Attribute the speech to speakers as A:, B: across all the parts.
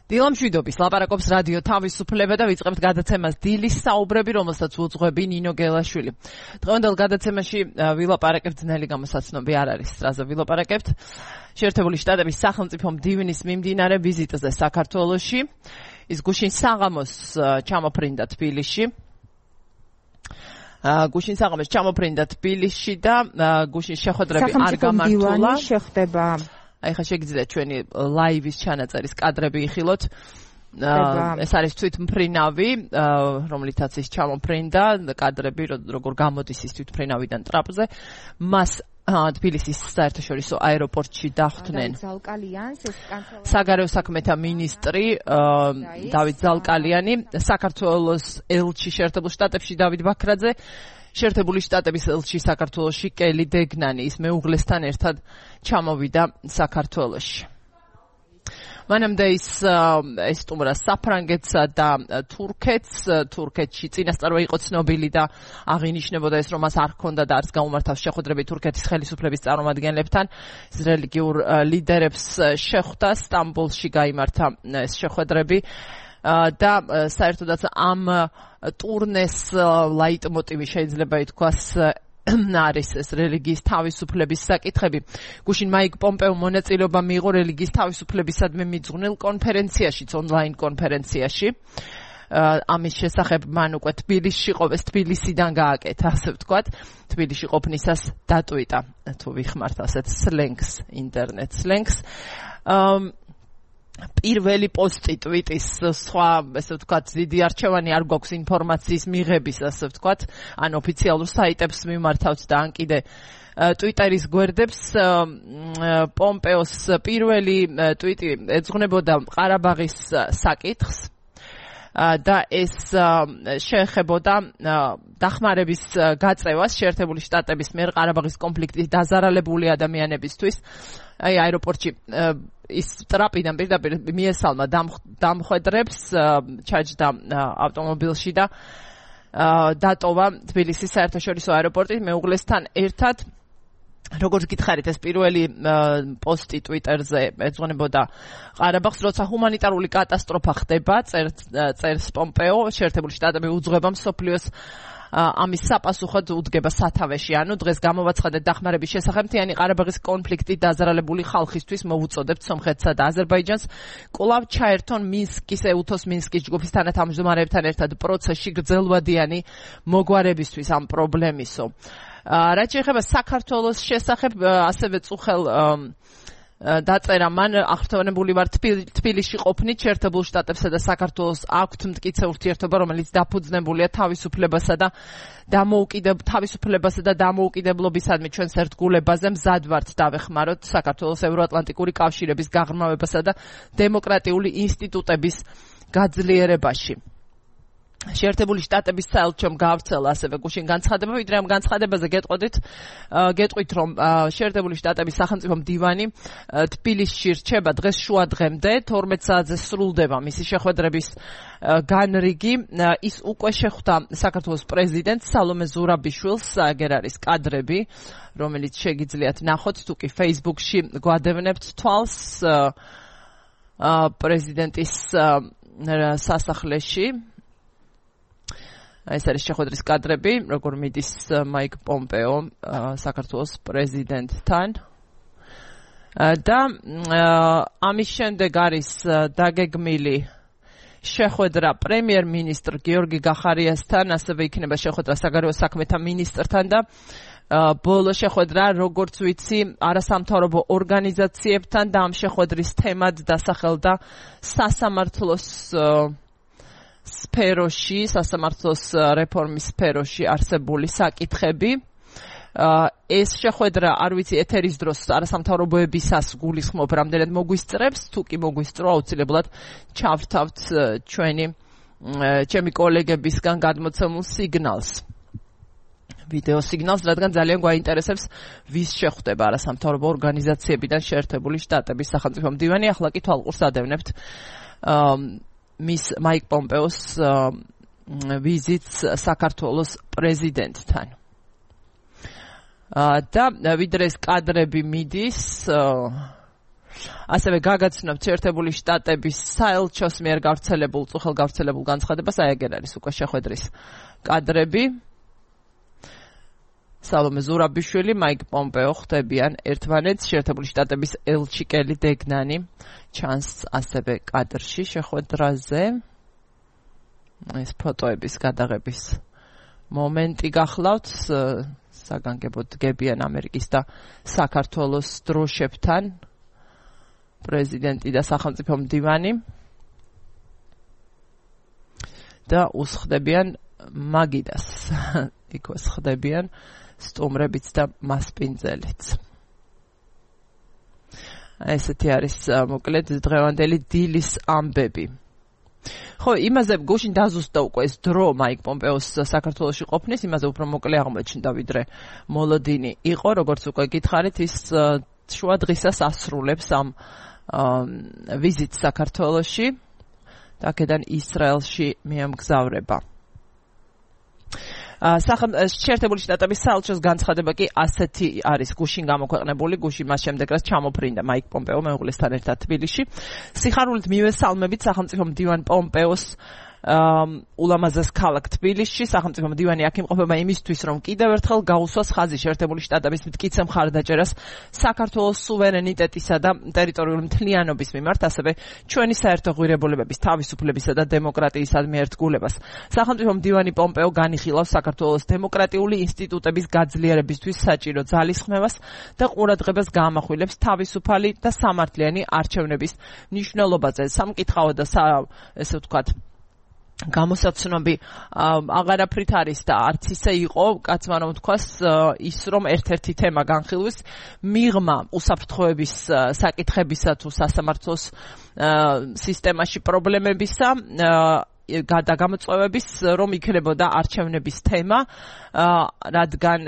A: დილამშვიდობის ლაპარაკობს რადიო თავისუფლება და ვიწყებთ გადაცემას დილის საუბრები, რომელსაც უძღვები ნინო გელაშვილი. დღევანდელ გადაცემაში ვილაპარაკებთ ძნელი გამოსაცნობი არ არის, რაზე ვილაპარაკებთ. შეერთებული შტატების სახელმწიფო მდივნის მიმდინარე ვიზიტზე საქართველოში. ის გუშინ საღამოს ჩამოფრინდა თბილისში. გუშინ საღამოს ჩამოფრინდა თბილისში და გუშინ შეხვედრები არ გამართულა.
B: შეხდება
A: აი ხა შეგიძლიათ ჩვენი ლაივის ჩანაწერის კადრები იხილოთ. ეს არის თვითმფრინავი, რომლითაც ის ჩამოფრინდა, კადრები როგორ გამოდის ის თვითმფრინავიდან ტრაპზე. მას თბილისის საერთაშორისო აეროპორტში დახვდნენ საგარეო საქმეთა მინისტრი დავით ზალკალიანი, საქართველოს ელჩი შეერთებულ შტატებში დავით ბაქრაძე, შეერთებული შტატების ელჩი საქართველოში კელი დეგნანი, ის მეუღლესთან ერთად ჩამოვიდა საქართველოში. მანამდე ის ესტუმრა საფრანგეთსა და თურქეთში წინასწარ იყო ცნობილი და აღინიშნებოდა ეს, რომ მას არ ჰქონდა და არც გაუმართავს შეხვედრები თურქეთის ხელისუფლების წარმომადგენლებთან. ის რელიგიურ ლიდერებს შეხვდა, სტამბოლში გაიმართა ეს შეხვედრები და საერთოდაც ამ ტურნეს ლაიტმოტივი შეიძლება ითქვას არის ეს რელიგიის თავისუფლების საკითხები. გუშინ მაიკ პომპეომ მონაწილეობა მიიღო რელიგიის თავისუფლებისადმი მიძღვნილ კონფერენციაში, ონლაინ კონფერენციაში. ამის შესახებ მან უკვე თბილისში ყოფეს, თბილისიდან გააკეთა, ასე ვთქვათ. თბილისში ყოფნისას დატვიტა, თუ ვიხმართ ასეთ სლენგს, ინტერნეტ სლენგს. პირველი პოსტი ტვიტის სხვა, ესე ვთქვათ, დიდი არჩევანი არ გვაქვს ინფორმაციის მიღების, ასე ვთქვათ, ან ოფიციალურ საიტებს მიმართავთ და ან კიდე ტვიტერის გვერდებს. პომპეოს პირველი ტვიტი ეძღვნებოდა ყარაბაღის საკითხს და ეს შეეხებოდა დახმარების გაწევას შეერთებული შტატების მიერ ყარაბაღის კონფლიქტის დაზარალებული ადამიანებისთვის. აი აეროპორტში ის ტრაპიდან პირდაპირ მიესალმა დამხვედრებს, ჩაჯდა ავტომობილში და დატოვა თბილისის საერთაშორისო აეროპორტის მეუღლესთან ერთად. როგორც გითხარით, ეს პირველი პოსტი ტვიტერზე ეძღვნებოდა ყარაბაღს, როცა ჰუმანიტარული კატასტროფა ხდება, წერს პომპეო, შეერთებული შტატები უძღვება მსოფლიოს ამის საპასუხოდ უდგება სათავეში. ანუ დღეს გამოვაცხადეთ დახმარების შესახებ მთიანი ყარაბაღის კონფლიქტით დაზარალებული ხალხისთვის მოვუწოდებთ სომხეთსა და აზერბაიჯანს კვლავ ჩაერთონ მინსკის ეუთოს მინსკის ჯგუფის თანათავმჯდომარეებთან ერთად პროცესში გრძელვადიანი მოგვარებისთვის ამ პრობლემისო. რაც შეეხება საქართველოს შესახებ, ასევე წუხელ დაწერა მან, აღფრთოვანებული ვარ თბილისში ყოფნით, შეერთებულ შტატებსა და საქართველოს აქვთ მტკიცე ურთიერთობა, რომელიც დაფუძნებულია თავისუფლებასა და დამოუკიდებლობისადმი. ჩვენს ერთგულებაზე მზად ვართ დავეხმაროთ საქართველოს ევროატლანტიკური კავშირების გაღრმავებასა და დემოკრატიული ინსტიტუტების გაძლიერებაში. შეერთებული შტატების საელჩომ გაავრცელა ასევე გუშინ განცხადება, ვიდრე ამ განცხადებაზე გეტყვით, რომ შეერთებული შტატების სახელმწიფო მდივანი თბილისში რჩება დღეს შუადღემდე, 12 საათზე სრულდება მისი შეხვედრების განრიგი. ის უკვე შეხვდა საქართველოს პრეზიდენტს სალომე ზურაბიშვილს, აგერ არის კადრები, რომელიც შეგიძლიათ ნახოთ, თუ კი Facebook-ში გვადევნებთ თვალს პრეზიდენტის სასახლეში. ეს არის შეხვედრის კადრები, როგორ მიდის მაიკ პომპეო საქართველოს პრეზიდენტთან. და ამის შემდეგ არის დაგეგმილი შეხვედრა პრემიერ-მინისტრ გიორგი გახარიასთან, ასევე იქნება შეხვედრა საგარეო საქმეთა მინისტრთან და ბოლო შეხვედრა, როგორც ვიცი, არასამთავრობო ორგანიზაციებთან და ამ შეხვედრის თემად დასახელდა სასამართლოს სფეროში, სასამართლოს რეფორმის სფეროში არსებული საკითხები. ეს შეხვედრა, არ ვიცი, ეთერის დროს არასამთავრობოებისას გულისხმობ რამდენად მოგვისწრებს, თუ კი მოგვისწრო, აუცილებლად ჩავრთავთ ჩემი კოლეგებისგან გადმოცემულ სიგნალს. ვიდეო სიგნალს, რადგან ძალიან გვაინტერესებს ვის შეხვდება არასამთავრობო ორგანიზაციებიდან შეერთებული შტატების სახელმწიფო მდივანი. ახლა კი თვალყურს ადევნებთ მის მაიკ პომპეოს ვიზიტს საქართველოს პრეზიდენტთან. და ვიდრე ეს კადრები მიდის ასევე გაგაცნობთ შეერთებული შტატების საელჩოს მიერ წუხელ გავრცელებულ განცხადებას, აი ეგ არის უკვე შეხვედრის კადრები. სალომე ზურაბიშვილი, მაიკ პომპეო ხდებიან ერთმანეთს, შეერთებული შტატების ელჩი კელი დეგნანი ჩანს ასევე კადრში შეხვედრაზე. ეს ფოტოების გადაღების მომენტი გახლავთ, საგანგებოდ დგებიან ამერიკის და საქართველოს დროშებთან პრეზიდენტი და სახელმწიფო მდივანი და უსხდებიან მაგიდას, იქვე ხდებიან სტუმრებიც და მასპინძელიც. ესეთი არის მოკლედ დღევანდელი დილის ამბები. ხო, იმაზე გუშინ დაზუსტდა უკვე ეს დრო მაიკ პომპეოს საქართველოში ყოფნის, იმაზე უფრო მოკლე აღმოჩნდა, ვიდრე მოლოდინი იყო, როგორც უკვე გითხარით, ის შუა დღისას ასრულებს ამ ვიზიტს საქართველოში და აქედან ისრაელში მიემგზავრება. შეერთებული შტატების საელჩოს განცხადება კი ასეთი არის გუშინ გამოქვეყნებული, გუშინ მას შემდეგ რაც ჩამოფრინდა მაიკ პომპეო მეუღლესთან ერთად თბილისში. სიხარულით მივესალმებით სახელმწიფო მდივან პომპეოს ულამაზეს ქალაქ თბილისში. სახელმწიფო მდივანი აქ იმყოფება იმისთვის, რომ კიდევ ერთხელ გაუსვას ხაზი შეერთებული შტატების მტკიცე მხარდაჭერას საქართველოს სუვერენიტეტისა და ტერიტორიული მთლიანობის მიმართ, ასევე ჩვენი საერთო ღირებულებების, თავისუფლებისა და დემოკრატიისადმი ერთგულებას. სახელმწიფო მდივანი პომპეო განიხილავს საქართველოს დემოკრატიული ინსტიტუტების გაძლიერებისთვის საჭირო ძალისხმევას და ყურადღებას გაამახვილებს თავისუფალი და სამართლიანი არჩევნების მნიშვნელობაზე. სამკითხაო და ესე ვთქვათ გამოსაცნობი აღარაფრით არის და არც ისე იყო, კაცმა რომ თქვას ის რომ ერთ-ერთი თემა განხილვის მიღმა უსაფრთხოების საკითხებისა თუ სასამართლოს სისტემაში პრობლემებისა და გამოწვევების რომ იქნებოდა არჩევნების თემა, რადგან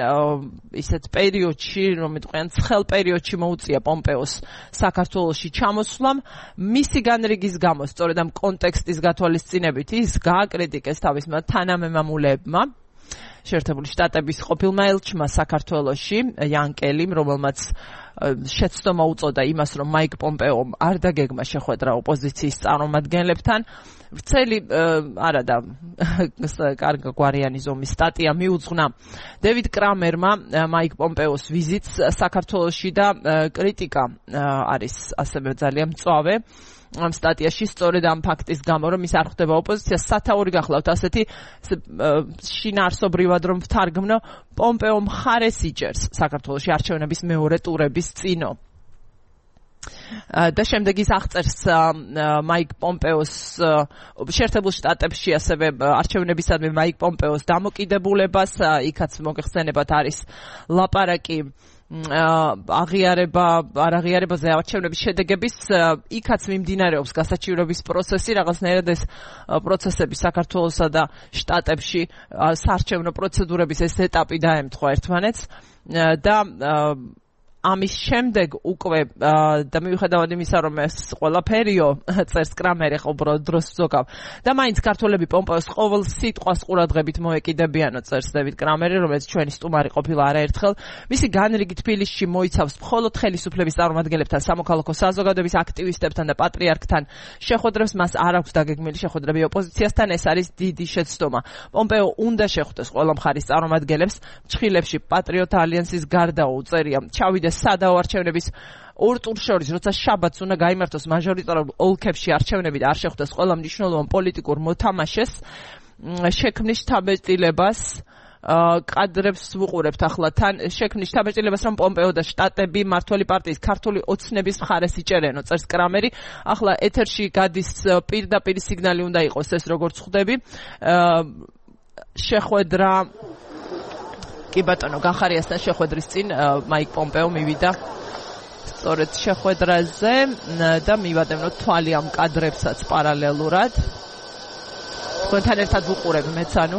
A: ისეთ პერიოდში, რომ მეტყვიან ცხელ პერიოდში მოუწია პომპეოს საქართველოში ჩამოსვლამ, მისი განრიგის გამო, სწორედ ამ კონტექსტის გათვალისწინებით ის გააკრიტიკეს თავისმა თანამემამულეებმა, შეერთებული შტატების ყოფილმა ელჩმა საქართველოში, იან კელიმ, რომელმაც შეცდომა უწოდა იმას, რომ მაიკ პომპეომ არ დაგეგმა შეხვედრა ოპოზიციის წარმომადგენლებთან. ვრცელი არა და კარგგვარიანი ზომის სტატია მიუძღვნა დევიდ კრამერმა მაიკ პომპეოს ვიზიტს საქართველოში და კრიტიკა არის ასევე ძალიან მწვავე ამ სტატიაში, სწორედ ამ ფაქტის გამო, რომ ის არ ხვდება ოპოზიციას, სათაური გახლავთ ასეთი შინაარსობრივად რომ ვთარგმნო, პომპეო მხარეს იჭერს საქართველოში არჩევნების მეორე ტურების წინო. და შემდეგ ის აღწერს მაიკ პომპეოს შეერთებულ შტატებში ასევე არჩევნებისადმი მაიკ პომპეოს დამოკიდებულებას, იქაც მოგეხსენებათ არის ლაპარაკი აღიარებაზე არჩევნების შედეგების, იქაც მიმდინარეობს გასაჩივრების პროცესი, რაღაცნაირად ეს პროცესები საქართველოსა და შტატებში საარჩევნო პროცედურების ეს ეტაპი დაემთხვა ერთმანეთს და ამის შემდეგ უკვე და მიუხედავად იმისა, რომ ეს ყველაფერიო წერს კრამერი ყოველ დროს ზოგავ და მაინც ქართველები პომპეოს ყოველ სიტყვას ყურადღებით მოეკიდებიანო, წერს დევიდ კრამერი, რომელიც ჩვენი სტუმარი ყოფილა არაერთხელ. მისი განრიგი თბილისში მოიცავს მხოლოდ ხელისუფლების წარმომადგენლებთან, სამოქალაქო საზოგადოების აქტივისტებთან და პატრიარქთან შეხვედრებს. მას არ აქვს დაგეგმილი შეხვედრები ოპოზიციასთან, ეს არის დიდი შეცდომა. პომპეო უნდა შეხვდეს ყველა მხარის წარმომადგენლებს, ჩხილებში პატრიოტ ალიანსის გარდა უწერია ჩავიდეს სადაო არჩევნების ორ ტურს შორის, როცა შაბათს უნდა გაიმართოს მაჟორიტარულ ოლქებში არჩევნები და არ შეხვდეს ყველა მნიშვნელოვან პოლიტიკურ მოთამაშეს, შექმნის შთაბეჭდილებას კადრებს ვუყურებთ ახლა თან, შექმნის შთაბეჭდილებას, რომ პომპეო და შტატები მმართველი პარტიის ქართული ოცნების მხარეს იჭერენო, წერს კრამერი. ახლა ეთერში გადის პირდაპირ სიგნალი უნდა იყოს ეს როგორც ხვდები. შეხვედრა კი ბატონო, გახარიასთან შეხვედრის წინ მაიკ პომპეო მივიდა სწორედ შეხვედრაზე და მივადევნოთ თვალი ამ კადრებსაც პარალელურად. თქვენთან ერთად ვუყურებ მეც, ანუ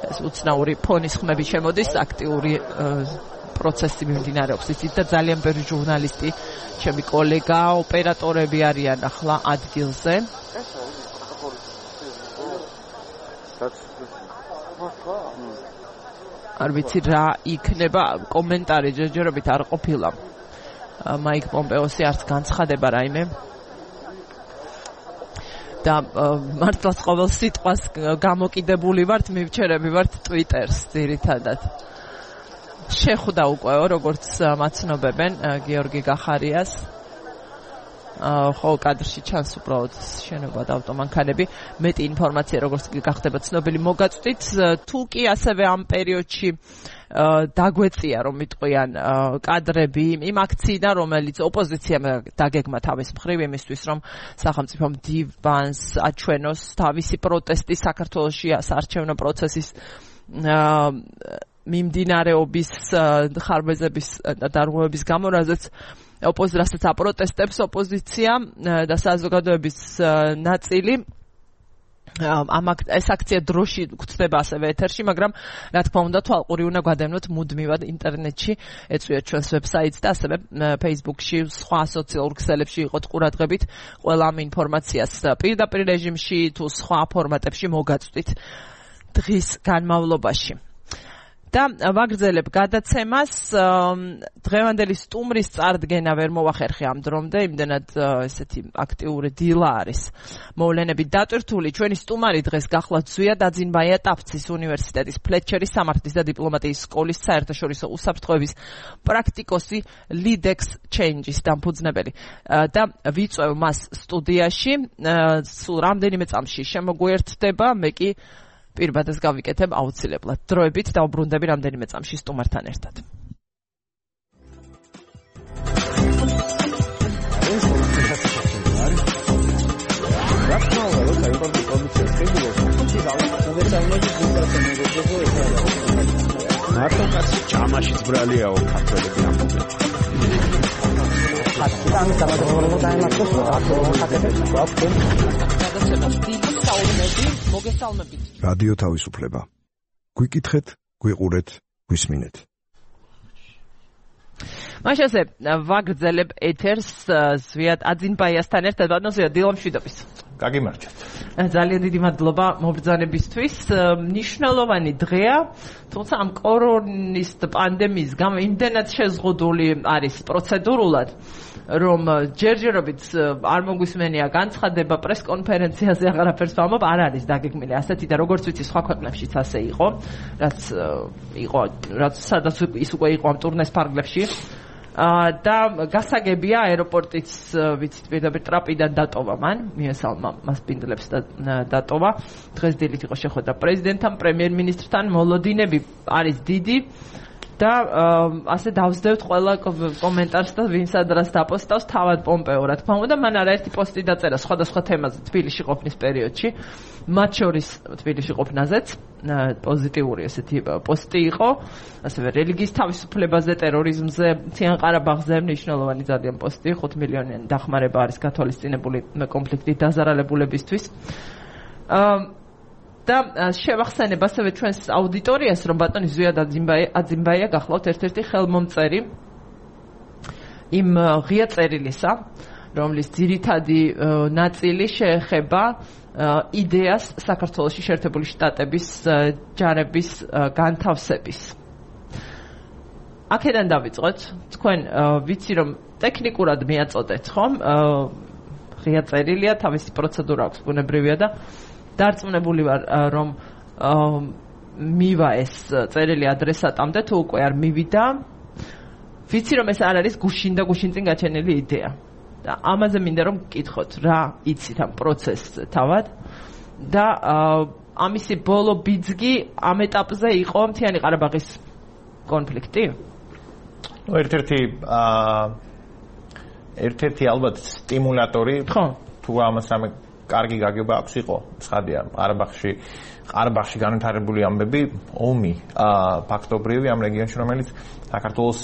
A: ეს უცნაური ფონის ხმები შემოდის, აქტიური პროცესი მიმდინარეობს ისიც და ძალიან ბევრი ჟურნალისტი, ჩემი კოლეგა, ოპერატორები არიან ახლა ადგილზე. არ ვიცი რა იქნება კომენტარი ჯერჯერობით არ ყოფილა მაიკ პომპეოსი არც განცხადება რაიმე და მართლაც ყოველ სიტყვას გამოკიდებული ვართ მივჩერები ვართ Twitter-ს ძირითადად შეხვდა უკვე როგორც მაცნობებენ გიორგი გახარიას ხო კადრში ჩანს უბრალოდ შენობა და ავტომანქანები მეტი ინფორმაცია როგორც გახდება ცნობილი მოგაწვდით თუ კი ასევე ამ პერიოდში დაგვეწია რომ მიტყვიან კადრები იმ აქციიდან რომელიც ოპოზიციამ დაგეგმა თავის მხრივ იმისთვის რომ სახელმწიფო მდივანს აჩვენოს თავისი პროტესტი საქართველოში საარჩევნო პროცესის მიმდინარეობის ხარბეზების და დარღვევების გამო რაზეც რასაც აპროტესტებს ოპოზიცია და საზოგადოების ნაწილი ეს აქცია დროში გვხვდება ასევე ეთერში, მაგრამ რა თქმა უნდა თვალყური უნდა გვადევნოთ მუდმივად ინტერნეტში, ეწვიოთ ჩვენს ვებსაიტს და ასევე Facebook-ში, სხვა სოციალურ ქსელებში იყოთ ყურადღებით ყველა ამ ინფორმაციას პირდაპირ რეჟიმში თუ სხვა ფორმატებში მოგაწვდით დღის განმავლობაში. და ვაგრძელებ გადაცემას დღევანდელი სტუმრის წარდგენა ვერ მოვახერხე ამ დრომდე იმდენად ესეთი აქტიური დილა არის მოვლენებით დატვირთული ჩვენი სტუმარი დღეს გახლავთ ზვია დაძინბაია ტაფცის უნივერსიტეტის ფლეჩერის სამართლის და დიპლომატიის სკოლის საერთაშორისო უსაფრთხოების პრაქტიკოსი Lidex Change-ის დამფუძნებელი და ვიწვევ მას სტუდიაში სულ რამდენიმე წამში შემოგვიერთდება მე კი პირბადას გავიკეთებ აუცილებლად. დროებით დავბრუნდები რამდენიმე წამში სტუმართან ერთად.
B: მარტო ჩამაშიც ბრალიაო ქართველები ამბობენ.
C: რადიო თავისუფლება. გვიკითხეთ, გვიყურეთ, გვისმინეთ.
A: მაშასე ვაგრძელებ ეთერს ზვია აძინბაიასთან ერთად ბატონო ზვია დილამშვიდობის.
B: გაგიმარჯვეთ.
A: ძალიან დიდი მადლობა მობრძანებისთვის. ნიშნულოვანი დღეა, თუმცა ამ კორონის პანდემიის გამო იმდენად შეზღუდული არის პროცედურულად, რომ ჯერჯერობით არ მოგვისმენია განცხადება პრესკონფერენციაზე აღარაფერს ვამბობ, არ არის დაგეგმილი ასეთი და როგორც ვიცი სხვა ქვეყნებშიც ასე იყო, რაც სადაც ის უკვე იყო ამ ტურნეს ფარგლებში. და გასაგებია აეროპორტიც ვიცით პირდაპირ ტრაპიდან დატოვა მან მიესალმა მას პინდლებს და დატოვა დღეს დილით იყო შეხვედრა პრეზიდენტთან პრემიერ-მინისტრთან მოლოდინები არის დიდი და ასე დავსდევთ ყველა კომენტარს და ვინც ადრას დაპოსტავს თავად პომპეო რა თქმა უნდა მან არაერთი პოსტი დაწერა სხვადასხვა თემაზე თბილისში ყოფნის პერიოდში მათ შორის თბილისში ყოფნაზეც პოზიტიური ესეთი პოსტი იყო ასევე რელიგიის თავისუფლებაზე ტერორიზმზე მთიან ყარაბაღზე მნიშვნელოვანი ძალიან პოსტი 5 მილიონიანი დახმარება არის გათვალისწინებული კონფლიქტით დაზარალებულებისთვის და შევახსენებ ასევე ჩვენს აუდიტორიას რომ ბატონი ზვია აძინბაია გახლავთ ერთ-ერთი ხელმომწერი იმ ღია წერილისა რომლის ძირითადი ნაწილი შეეხება იდეას საქართველოში შეერთებული შტატების ჯარების განთავსების. აქედან დავიწყოთ. თქვენ ვიცი რომ ტექნიკურად მიაწოდეთ ხომ? ღია წერილია, თავისი პროცედურა აქვს, ბუნებრივია და დარწმუნებული ვარ რომ მივა ეს წერილი ადრესატამდე თუ უკვე არ მივიდა. ვიცი რომ ეს არ არის გუშინ და გუშინ წინ გაჩენილი იდეა. და ამაზე მინდა რომ გკითხოთ რა იცით ამ პროცესზე თავად და ამისი ბოლო ბიძგი ამ ეტაპზე იყო მთიანი ყარაბაღის კონფლიქტი?
B: ერთ-ერთი ალბათ სტიმულატორი თუ ამას ამე კარგი გაგება აქვს იყო ცხადია ყარაბაღში განვითარებული ამბები ომი ფაქტობრივი ამ რეგიონში რომელიც საქართველოს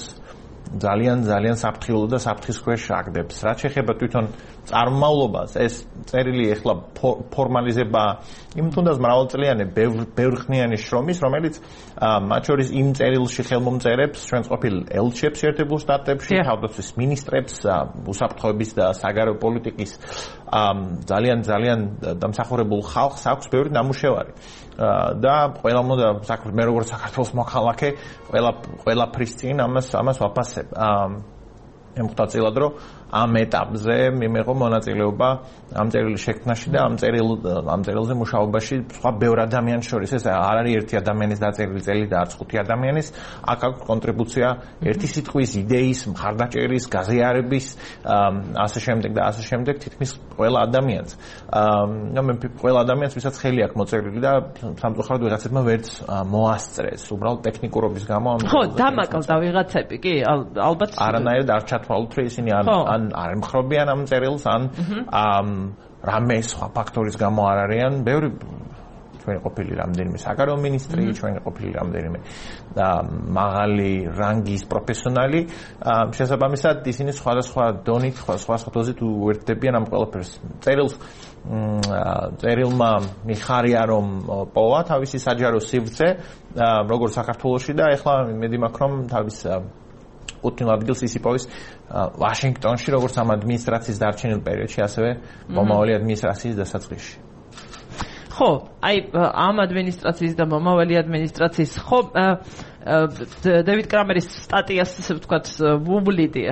B: ძალიან საფრთხილო და საფრთხის ქვეშ აგდებს. რაც შეეხება თვითონ წარმომავლობას ეს წერილი ეხლა ფორმალიზება იმ თუნდაც მრავალწლიანი ბევრხნიანი შრომის, რომელიც მათ შორის იმ წერილში ხელმომწერებს, ჩვენს ყოფილ ელჩებს ერთებულ შტატებში, თავდაცვის მინისტრებს, უსაფრთხოების და საგარეო პოლიტიკის ძალიან დამსახურებულ ხალხს აქვს ბევრი ნამუშევარი. და ყველა მოდა მე როგორც საქართველოს მოქალაქე, ყველაფრის წინ ამას ვაფასებ. ემხვდა წილად, რომ ამ ეტაპზე მიმეღო მონაწილეობა ამ წერილის შექმნაში და ამ წერილზე მუშაობაში სხვა ბევრ ადამიანს შორის ეს არ არის ერთი ადამიანის დაწერილი წელი და არც ხუთი ადამიანის აქ აქვს კონტრიბუცია ერთი სიტყვის იდეის მხარდაჭერის გაზიარების ასე შემდეგ თითქმის ყველა ადამიანს მე ყველა ადამიანს ვისაც ხელი აქვს მოწერილი და სამწუხაროდ ვიღაცებმა ვერც მოასწრეს უბრალოდ ტექნიკურობის გამო
A: ხო დამაკავდა ვიღაცები კი ალბათ
B: არანაირად არ ჩათვალოთ რომ ისინი ან არ ემხრობიან ამ წერილს ან რამე სხვა ფაქტორის გამო არ არიან ბევრი ჩვენი ყოფილი რამდენიმე საგარეო მინისტრი ჩვენი ყოფილი რამდენიმე მაღალი რანგის პროფესიონალი შესაბამისად ისინი სხვადასხვა დონით სხვა დოზით უერთდებიან ამ ყველაფერს წერილმა მიხარია რომ პოვა თავისი საჯარო სივრცე როგორც საქართველოში და ეხლა მედი მაქვს რომ თავის უთნილ ადგილს ის იპოვის ვაშინგტონში როგორც ამ ადმინისტრაციის დარჩენილ პერიოდში ასევე მომავალი ადმინისტრაციის დასაწყისში.
A: ხო, აი ამ ადმინისტრაციის და მომავალი ადმინისტრაციის ხო დევიდ კრამერის სტატიას ასე ვთქვათ ვუბლიდი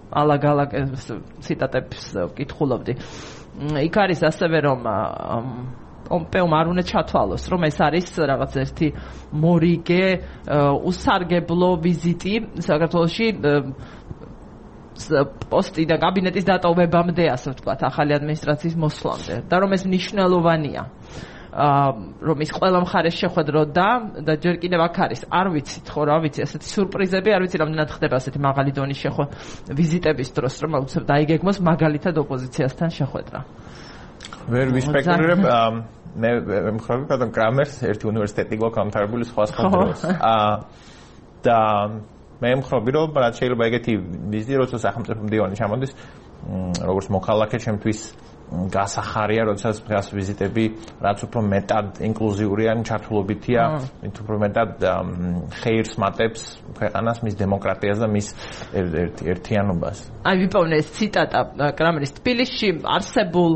A: ალაგ-ალაგ ციტატებს ვკითხულობდი. იქ არის ასევე რომ პომპეომ არ უნდა ჩათვალოს, რომ ეს არის რაღაც ერთი მორიგე, უსარგებლო ვიზიტი საქართველოში პოსტი და კაბინეტის დატოვებამდე, ასე ვთქვათ, ახალი ადმინისტრაციის მოსვლამდე და რომ ეს მნიშვნელოვანია. რომ ის ყველა მხარეს შეხვედროდა და ჯერ კიდევ აქ არის, არ ვიცით ხო რა ვიცი, ასეთი სიურპრიზები, არ ვიცი რამდენად ხდება ასეთი მაღალი დონის ვიზიტების დროს, რომ უცებ დაიგეგმოს მაგალითად ოპოზიციასთან შეხვედრა.
B: ვერ ვისპეკულირებ მე მხოლოდ ბატონ კრამერს ერთი უნივერსიტეტი გვაქვს ამთავრებული სხვა დროს და მე მხოლოდ რომ რაც შეიძლება ეგეთი ვიზიტი როცა სახელმწიფო მდივანი ჩამოდის როგორც მოქალაქე ჩემთვის გასახარია როდესაც დღეს ვიზიტები რაც უფრო მეტად ინკლუზიური ან ჩართულობითია მით უფრო მეტად ხეირს მატებს ქვეყანას მის დემოკრატიას და მის ერთიანობას
A: აი ვიპოვნე ეს ციტატა კრამერის თბილისში არსებულ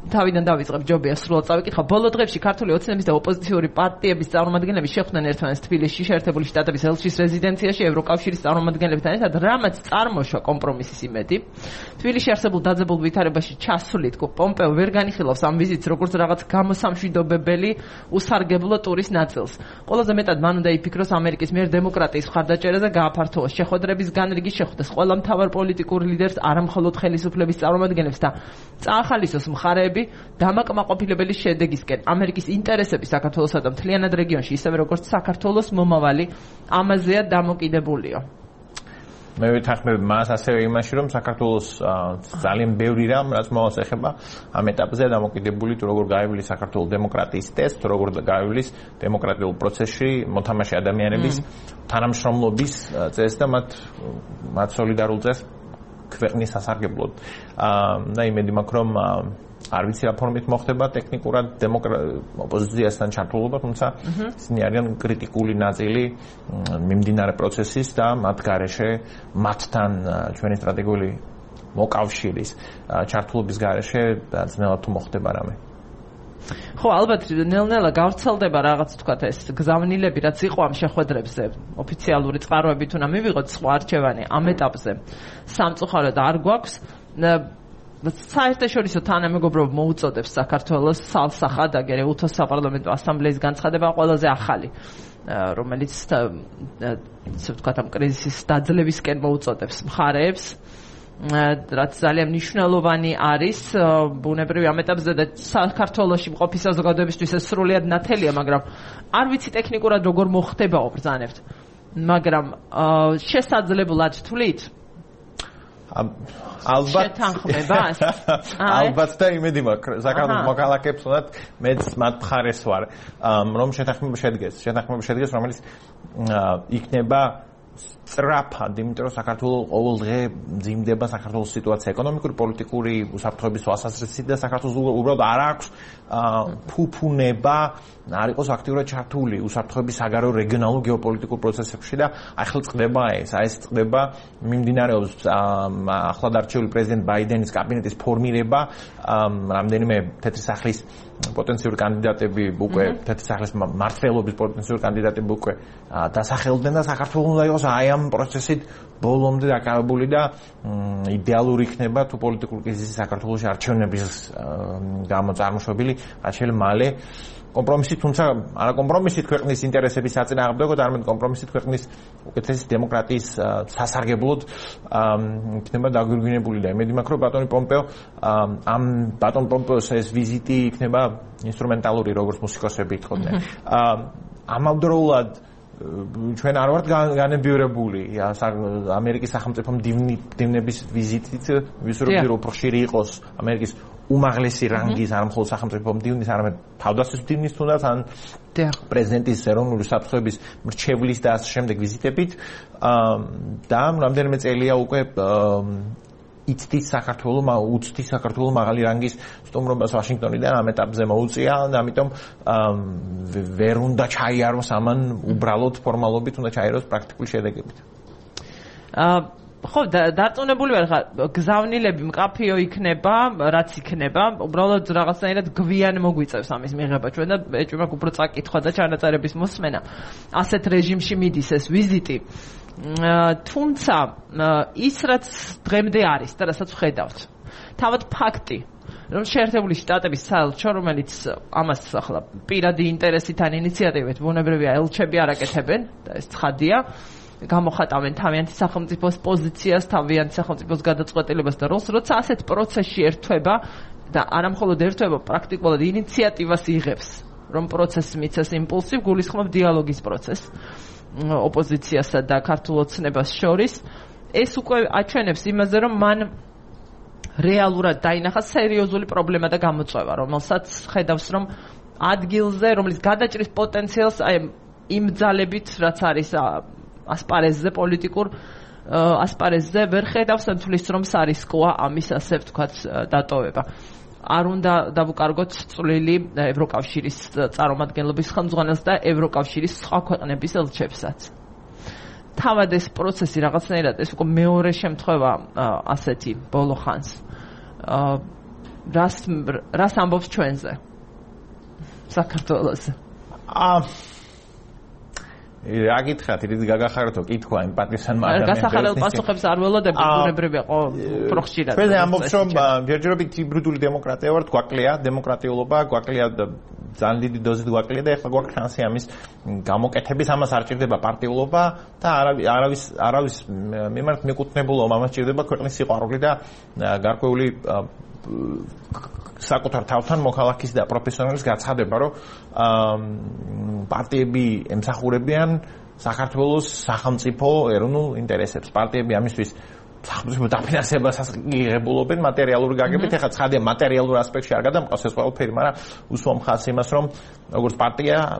A: თავიდან დავიწყებ ჯობია სრულად წავიკითხო ბოლო დღეებში ქართული ოცნების და ოპოზიციური პარტიების წარმომადგენლები შეხვდნენ ერთმანეთს თბილისში შეერთებული შტატების ელჩის რეზიდენციაში ევროკავშირის წარმომადგენლებთან ერთად რამაც წარმოშვა კომპრომისის იმედი თბილისში არსებულ დაძაბულ ვითარებაში ჩასვლით პომპეო ვერ განიხილავს ამ ვიზიტს როგორც რაღაც გამოსამშვიდობებელი უსარგებლო ტურის ნაწილს ყველაზე მეტად მან უნდა იფიქროს ამერიკის მიერ დემოკრატიის მხარდაჭერაზე გააფართოვოს შეხვედრების განრიგი შეხვდეს ყველა მთავარ პოლიტიკურ ლიდერს არა მხოლოდ ხელისუფლების წარმომადგენლებს და წაახალისოს მხარეები დამაკმაყოფილებელი შედეგისკენ ამერიკის ინტერესები საქართველოსა და მთლიანად რეგიონში ისევე როგორც საქართველოს მომავალი ამაზეა დამოკიდებულიო.
B: მე ვეთანხმებ მას ასევე იმაში რომ საქართველოს ძალიან ბევრი რამ რაც მოვალს ეხება ამ ეტაპზე დამოკიდებული თუ როგორ გაივლის საქართველოს დემოკრატიის ტესტ, როგორ გაივლის დემოკრატიულ პროცესში მოთამაშე ადამიანების თანამშრომლობის წესს და მათ სოლიდარულ წესს ქვეყნის სასარგებლოდ. და იმედი მაქვს რომ არ ვიცი რა ფორმით მოხდება ტექნიკურად ოპოზიციასთან ჩართულობა, თუმცა ისინი არიან კრიტიკული ნაწილი მიმდინარე პროცესის და მათ გარეშე მათთან ჩვენი სტრატეგიული მოკავშირის ჩართულობის გარეშე ძნელად თუ მოხდება რამე.
A: ხო, ალბათ ნელ-ნელა გავრცელდება რაღაც თქვათ ეს გზავნილები, რაც იყო ამ შეხვედრებზე, ოფიციალური წყაროებით უნდა მივიღოთ სხვა არჩევანი ამ ეტაპზე. სამწუხაროდ არ გვაქვს საერთაშორისო თანამეგობრობა მოუწოდებს საქართველოს სალსახად აგერე უთოს საპარლამენტო ასამბლეის განცხადება ყველაზე ახალი რომელიც ისე ვთქვათ ამ კრიზისის დაძლევისკენ მოუწოდებს მხარეებს რაც ძალიან მნიშვნელოვანი არის ბუნებრივი ამ ეტაპზე და საქართველოში მყოფი საზოგადოებისთვის ეს სრულიად ნათელია მაგრამ არ ვიცი ტექნიკურად როგორ მოხდებაო ბრძანებთ მაგრამ შესაძლებლად თვლით
B: ალბათ და იმედი მაქვს საქართველოს მოქალაქეებს უნდათ მეც მათ მხარეს ვარ რომ შეთანხმება შედგეს რომელიც იქნება სწრაფად, იმიტომ რომ საქართველოს ყოველ დღე მძიმდება საქართველოს სიტუაცია ეკონომიკური, პოლიტიკური, უსაფრთხოების თვალსაზრისით და საქართველოს უბრალოდ არ აქვს ფუფუნება არ იყოს აქტიურად ჩართული უსაფრთხოების საგარეო რეგიონალურ გეოპოლიტიკურ პროცესებში და ახლა წდება ეს წდება მიმდინარეობს ახლად არჩეული პრეზიდენტ ბაიდენის კაბინეტის ფორმირება რამდენიმე თეთრი სახლის პოტენციური კანდიდატები უკვე თეთრი სახლის მმართველობის პოტენციური კანდიდატები უკვე დასახელდნენ და საქართველოს უნდა იყოს აი ამ პროცესით ბოლომდე დაკავებული და იდეალური იქნება თუ პოლიტიკური კრიზისი საქართველოში არჩევნების გამო წარმოშობილი რაც მალე კომპრომისით, თუმცა არა კომპრომისით ქვეყნის ინტერესების საწინააღმდეგოდ, არამედ კომპრომისით ქვეყნის უკეთესი დემოკრატიის სასარგებლოდ იქნება დაგვირგვინებული და იმედი მაქვს, რომ ბატონი პომპეო ამ ბატონ პომპეოს ეს ვიზიტი იქნება ინსტრუმენტალური, როგორც მუსიკოსები ითხოვდნენ. ამავდროულად ჩვენ არ ვართ განებივრებული ამერიკის სახელმწიფო მდივნების ვიზიტით, ვისურვებდი რომ უფრო ხშირი იყოს ამერიკის უმაღლესი რანგის არ მხოლოდ სახელმწიფო მდივნის, არამედ თავდაცვის მდივნის თუნდაც ან პრეზიდენტის ეროვნული საფრთხეების მრჩევლის და ასე შემდეგ ვიზიტებით და რამდენიმე წელია უკვე იცდის საქართველოს მაღალი რანგის სტუმრობას ვაშინგტონიდან ამ ეტაპზე მოუწია და ამიტომ ვერ უნდა ჩაიაროს ამან უბრალოდ ფორმალობით, უნდა ჩაიაროს პრაქტიკული შედეგებით. ხო, დარწმუნებული ვარ, გზავნილები მკაფიო იქნება, რაც იქნება, უბრალოდ რაღაცნაირად გვიან მოგვიწევს ამის მიღება ჩვენ და ეჭვმა უფრო წაკითხვა და ჩანაწერების მოსმენა. ასეთ რეჟიმში მიდის ეს ვიზიტი. თუმცა ის რაც დღემდე არის და რასაც ვხედავთ. თავად ფაქტი, რომ შეერთებული შტატების საელჩო, რომელიც ამას ახლა პირადი ინტერესით ან ინიციატივით ბუნებრივია ელჩები არ აკეთებენ და ეს ცხადია. გამოხატავენ თავიანთი სახელმწიფოს პოზიციას, თავიანთი სახელმწიფოს გადაწყვეტილებას და როლს, როცა ასეთ პროცესში ერთვება და არამხოლოდ ერთვება, პრაქტიკულად ინიციატივას იღებს, რომ პროცესს მიცეს იმპულსი, გულისხმობ დიალოგის პროცესს ოპოზიციასა და ქართულ ოცნებას შორის. ეს უკვე აჩვენებს იმაზე, რომ მან რეალურად დაინახა სერიოზული პრობლემა და გამოწვევა, რომელსაც ხედავს, რომ ადგილზე, რომლის გადაჭრის პოტენციალს აი იმ ძალებით, რაც არის ასპარეზზე პოლიტიკურ ასპარეზზე ვერ ხედავს თulis რომ სარისკოა ამის ასე ვთქვათ დატოვება. არ უნდა დავუკარგოთ წვლილი ევროკავშირის წარმომადგენლობის ხელმძღვანელს და ევროკავშირის სხვა ქვეყნების ელჩებსაც. თავად ეს პროცესი რაღაცნაირად ეს უკვე მეორე შემთხვევა ასეთი ბოლო ხანს. რას ამბობს ჩვენზე? საქართველოზე. რა გითხრათ, ის გაგახარეთო კითხვა ემპათიასთან მაგრამ
A: გასახარელ პასუხებს არ ველოდებთ, ბუნებრივია უფრო ხშირად.
B: ჩვენ ამბობს რომ ჯერჯერობით ჰიბრიდული დემოკრატია ვართ, გვაკლია დემოკრატიულობა, გვაკლია ძალიან დიდი დოზით გვაკლია და ეხლა გვაქვს შანსი ამის გამოკეთების, ამას არ ჭირდება პარტიულობა და არავის მიმართ მიკუთვნებულობა, ამას ჭირდება ქვეყნის სიყვარული და გარკვეული საკუთარ თავთან მოქალაქის და პროფესიონალის გაცხადება, რომ პარტიები ემსახურებიან საქართველოს სახელმწიფო ეროვნულ ინტერესებს. პარტიები ამისთვის სახელმწიფო დაფინანსებასაც იღებულობენ მატერიალური გაგებით. ეხლა ცხადია მატერიალურ ასპექტში არ გადამყავს ეს ყველაფერი, მაგრამ უსვამ ხაზს იმას, რომ როგორც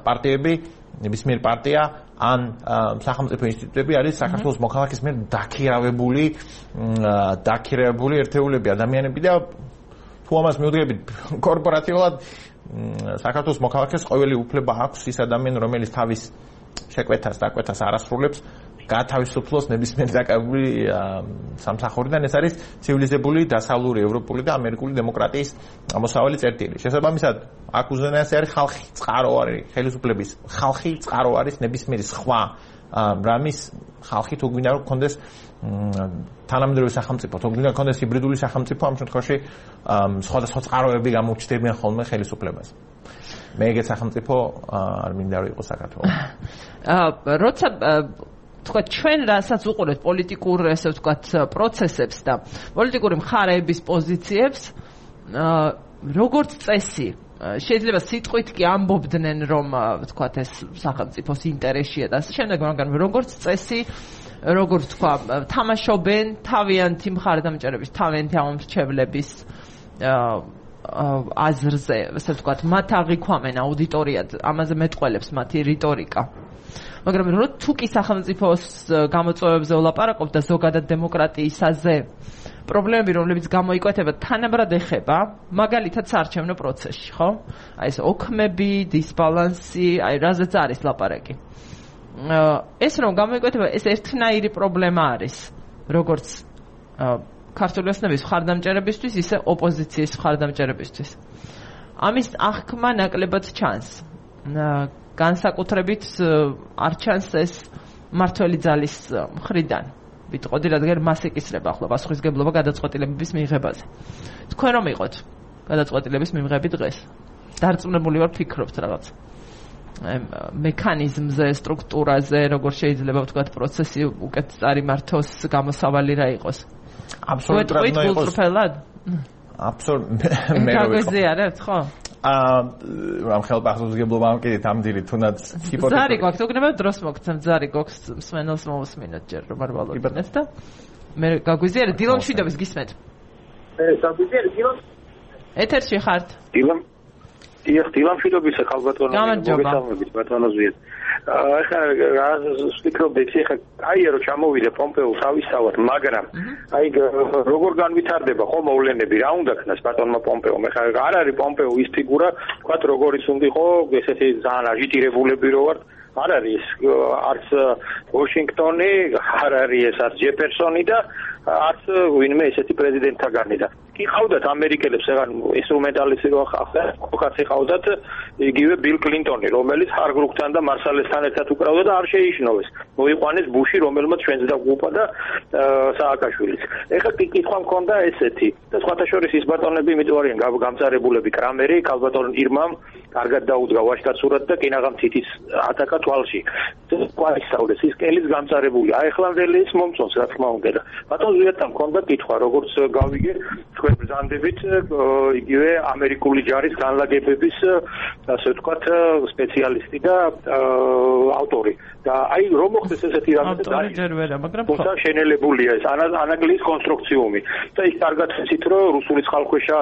B: პარტიები ნებისმიერ პარტია ან სახელმწიფო ინსტიტუტები არის საქართველოს მოქალაქის მიერ დაქირავებული ერთეულები, ადამიანები და თუ ამას მიუდგებით კორპორატიულად საქართველოს მოქალაქეს ყოველი უფლება აქვს ის ადამიანი, რომელიც თავის შეკვეთას დაკვეთას არ ასრულებს, გათავისუფლოს ნებისმიერ დაკავებული სამსახურიდან. ეს არის ცივილიზებული, დასავლური, ევროპული და ამერიკული დემოკრატიის ამოსავალი წერტილი. შესაბამისად, აქ უზენაესი არის ხალხი, წყარო არის ხელისუფლების ხალხი, წყარო არის ნებისმიერი სხვა რამის ხალხი, თუ გვინდა რომ გქონდეს თანამედროვე სახელმწიფო, თუ გვინდა გქონდეს ჰიბრიდული სახელმწიფო, ამ შემთხვევაში სხვადასხვა წყაროები გამოჩნდებიან ხოლმე ხელისუფლებას. მე ეგეთ სახელმწიფო არ მინდა რომ იყოს საქართველო.
A: როცა თქვა ჩვენ რასაც უყურებთ პოლიტიკურ ესე ვთქვათ პროცესებს და პოლიტიკური მხარეების პოზიციებს, როგორც წესი შეიძლება სიტყვით კი ამბობდნენ რომ ვთქვათ ეს სახელმწიფოს ინტერესია და ასე შემდეგ, მაგრამ როგორც წესი როგორც თქვა თამაშობენ თავიანთი მხარდამჭერების, თავიანთი ამომრჩევლების აზრზე, ასე ვთქვათ, მათ აღიქვამენ აუდიტორიად, ამაზე მეტყველებს მათი რიტორიკა. მაგრამ თუ კი სახელმწიფოს გამოწვევებზე ვლაპარაკობ და ზოგადად დემოკრატიისაზე პრობლემები, რომლებიც გამოიკვეთება, თანაბრად ეხება, მაგალითად საარჩევნო პროცესში, ხო? აი ეს ოქმები, დისბალანსი, აი რაზეც არის ლაპარაკი. ეს რომ გამოიკვეთება, ეს ერთნაირი პრობლემა არის, როგორც ქართული ოცნების მხარდამჭერებისთვის, ისე ოპოზიციის მხარდამჭერებისთვის. ამის აღქმა ნაკლებად ჩანს. განსაკუთრებით არ ჩანს ეს მმართველი ძალის მხრიდან. ვიტყოდი, რადგან მას ეკისრება ახლა პასუხისგებლობა გადაწყვეტილებების მიღებაზე. თქვენ რომ იყოთ გადაწყვეტილების მიღები დღეს, დარწმუნებული ვარ ფიქრობთ რაღაც მექანიზმზე, სტრუქტურაზე, როგორ შეიძლება ვთქვათ პროცესი უკეთ წარიმართოს, გამოსავალი რა იყოს.
B: აბსოლუტურად უნდა იყოს. აბსოლუტურად მე
A: გაგვეზიარებთ, ხო?
B: რამ ხელ პასუხისგებლობა ამკიდით ამდილი თუნდაც ჰიპოთეზა.
A: ზარი გვაქვს, უგნებოდ დროს მოგცემ, ზარი გვაქვს მსმენელს მოვუსმინოთ ჯერ რომ არ ვალოდნეთ და მე გაგვიზიარეთ დილონ შვიდობის გისმენთ.
D: გაგვიზიარეთ დილონ.
A: ეთერში ხართ?
D: დილონ შვიდობისა ხალბატონო მოგესალმებით ბატონო ზვიად. ახლა ვფიქრობდი ხა აირო ჩამოვიდა პომპეო თავისთავად, მაგრამ აი როგორ განვითარდება ხო მოვლენები, რა უნდა ქნას ბატონმა პომპეომ? ახლა არ არის პომპეო ის ფიგურა, თქვათ როგორიც უნდა იყო, ესეთი ძალიან აჟიტირებულები რო ვართ. არ არის არც ვაშინგტონი, არ არის ეს არც ჯეფერსონი და არც ვინმე ესეთი პრეზიდენტთაგანი და კი ხავდათ ამერიკელებს ეგან ინსტრუმენტალისტი რო ახლა ხოხაცი ხავდათ იგივე ბილ კლინტონი, რომელიც ჰარგრუგთან და მარსალესთან ერთად უკრავდა და არ შეიშნოვეს. მოიყვანეს ბუში, რომელმაც ჩვენს დაგუპა და სააკაშვილიც. ეხლა კი კითხვა მქონდა ესეთი და სხვათა შორის ის ბატონები იმიტომ არიან გამწარებულები კრამერი, ქალბატონ ირმამ კარგად დაუდგა ვაშკაც სურათ და კინაღამ თითის ატაკა თვალში. ყვაისაუდეს ის კელის გამწარებული. აი ახლანდელი ის მომწონს რა თქმა უნდა და ბატონ ზვიადთან მქონდა კითხვა, როგორც გავიგე თქვენ ბრძანდებით იგივე ამერიკული ჯარის განლაგებების ასე ვთქვათ სპეციალისტი და ავტორი. და აი რომ მოხდეს ესეთი რამე და შენელებულია ეს ანაგლის კონსტრუქციუმი. და იქ კარგად ვიცით რომ რუსული წყალქვეშა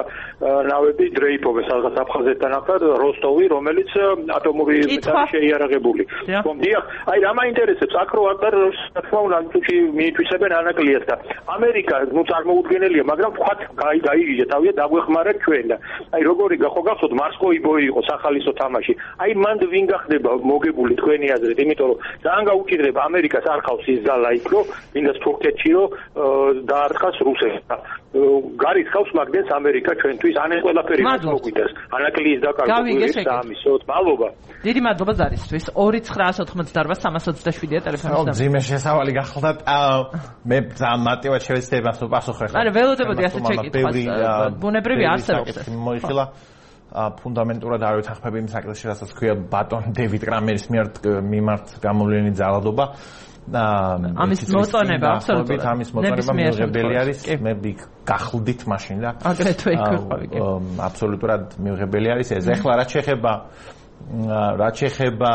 D: ნავები დრეიფობენ სადღაც აფხაზეთთან ახლად როსტოვი, რომელიც ატომური მეტალი შეიარაღებული. დიახ, აი რა მაინტერესებს აქ რო ატარ თქმა უნდა თუჩი მიითვისებენ ანაგლიას და ამერიკა ნუ წარმოუდგენელია, მაგრამ ვხათ გაიგიჟე თავია დაგვეხმარა ჩვენ და აი როგორი ხო გახსოვთ მარსკოიბოი იყო სახალისო თამაში. აი მანდ ვინ გახდება მოგებული თქვენი აზრით, იმიტომ რომ ძალიან გაუჭირდება ამერიკას არ ხავს ის ძალა იქ რომ ვინდა თურქეთში რომ დაარხას რუსეთს. გარიხავს მაგდენს ამერიკა ჩვენთვის ან ეს ყველაფერი მოგვიდეს. ანაკლიის დაკარგული სამისოთ. მადლობა.
A: დიდი მადლობა ზარისთვის. 2988327 ტელეფონი.
B: ძიმე შესავალი გახლდათ. მე ძალიან მარტივად შევეცდება პასუხი ხარ.
A: არა, ველოდებოდი ასე ჩეკითხას. ბუნებრივი არსებობს ეს.
B: მოიხილა ფუნდამენტურად არ ვეთანხმები იმ საკითხში, რასაც ქვია ბატონ დევიდ კრამერის მიმართ გამოვლენილი ძალადობა.
A: ამის მოწონება აბსოლუტურად
B: ამის მოწონება მიუღებელი არის. მე გახლდით მაშინ და
A: აგრეთვე იქ ვიყავი.
B: აბსოლუტურად მიუღებელი არის ეს. ეხლა რაც შეეხება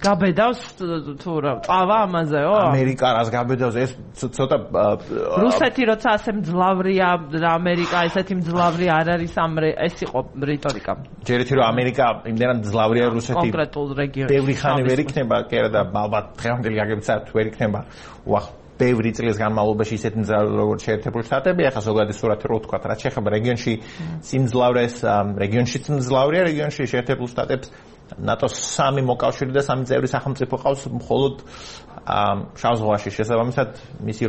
A: გაბედავს თუ რა წავა ამაზეო?
B: ამერიკა რას გაბედავს ეს ცოტა
A: რუსეთი როცა ასე მძლავრია, ამერიკა ესეთი მძლავრი არ არის ეს იყო რიტორიკა.
B: ჯერეთი რომ ამერიკა იმდენად მძლავრია რუსეთი
A: კონკრეტულ რეგიონში.
B: ბევრი ხანი ვერ იქნება, კი არა და ალბათ დღევანდელი გაგებიცათ ვერ იქნება. ბევრი წლის განმავლობაში ისეთი მძლავრი როგორც შეერთებული შტატები, ახლა ზოგადი სურათი რო ვთქვათ, რაც შეეხება რეგიონში სიმძლავრეს, რეგიონშიც მძლავრია, რეგიონში შეერთებულ შტატებს ნატოს 3 მოკავშირე და 3 წევრი სახელმწიფო ყავს მხოლოდ შავ ზღვაში. შესაბამისად მისი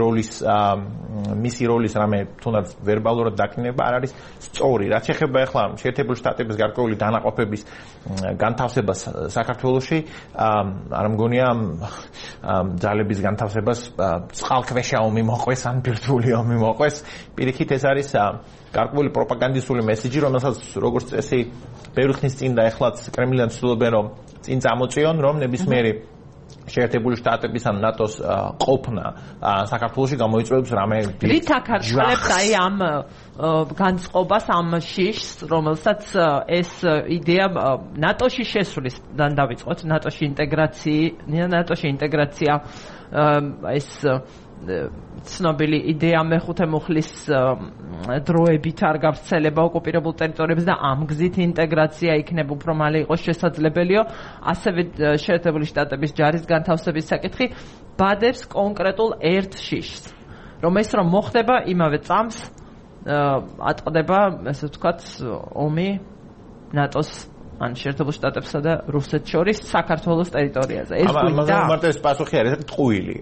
B: როლის რამე თუნდაც ვერბალურად დაკნინება არ არის სწორი. რაც შეეხება ახლა შეერთებული შტატების გარკვეული დანაყოფების განთავსებას საქართველოში, არ მგონია ძალების განთავსებას წყალქვეშა ომი მოყვეს ან ბირთვული ომი მოყვეს. პირიქით ეს არის გარკვეული პროპაგანდისტული მესიჯი, რომელსაც როგორც წესი ბევრი ხნის წინ და ეხლაც კრემლიდან ცდილობენ რომ წინ წამოწიონ, რომ ნებისმიერი შეერთებული შტატების ან ნატოს ყოფნა საქართველოში გამოიწვევს რამე
A: რით აკარშხლებს აი ამ განწყობას, ამ შიშს, რომელსაც ეს იდეა ნატოში შესვლისთან დავიწყოთ, ნატოში ინტეგრაცია ეს ცნობილი იდეა მეხუთე მუხლის დროებით არ გავრცელება ოკუპირებულ ტერიტორიებზე და ამ გზით ინტეგრაცია იქნება უფრო მალე იყოს შესაძლებელიო. ასევე შეერთებული შტატების ჯარის განთავსების საკითხი ბადებს კონკრეტულ ერთ შიშს. რომ ეს რომ მოხდება იმავე წამს ატყდება, ესე ვთქვათ, ომი ნატოს ან შეერთებულ შტატებსა და რუსეთს შორის საქართველოს ტერიტორიაზე. ეს გვინდა?
B: ამაზე პასუხი არის ტყუილი.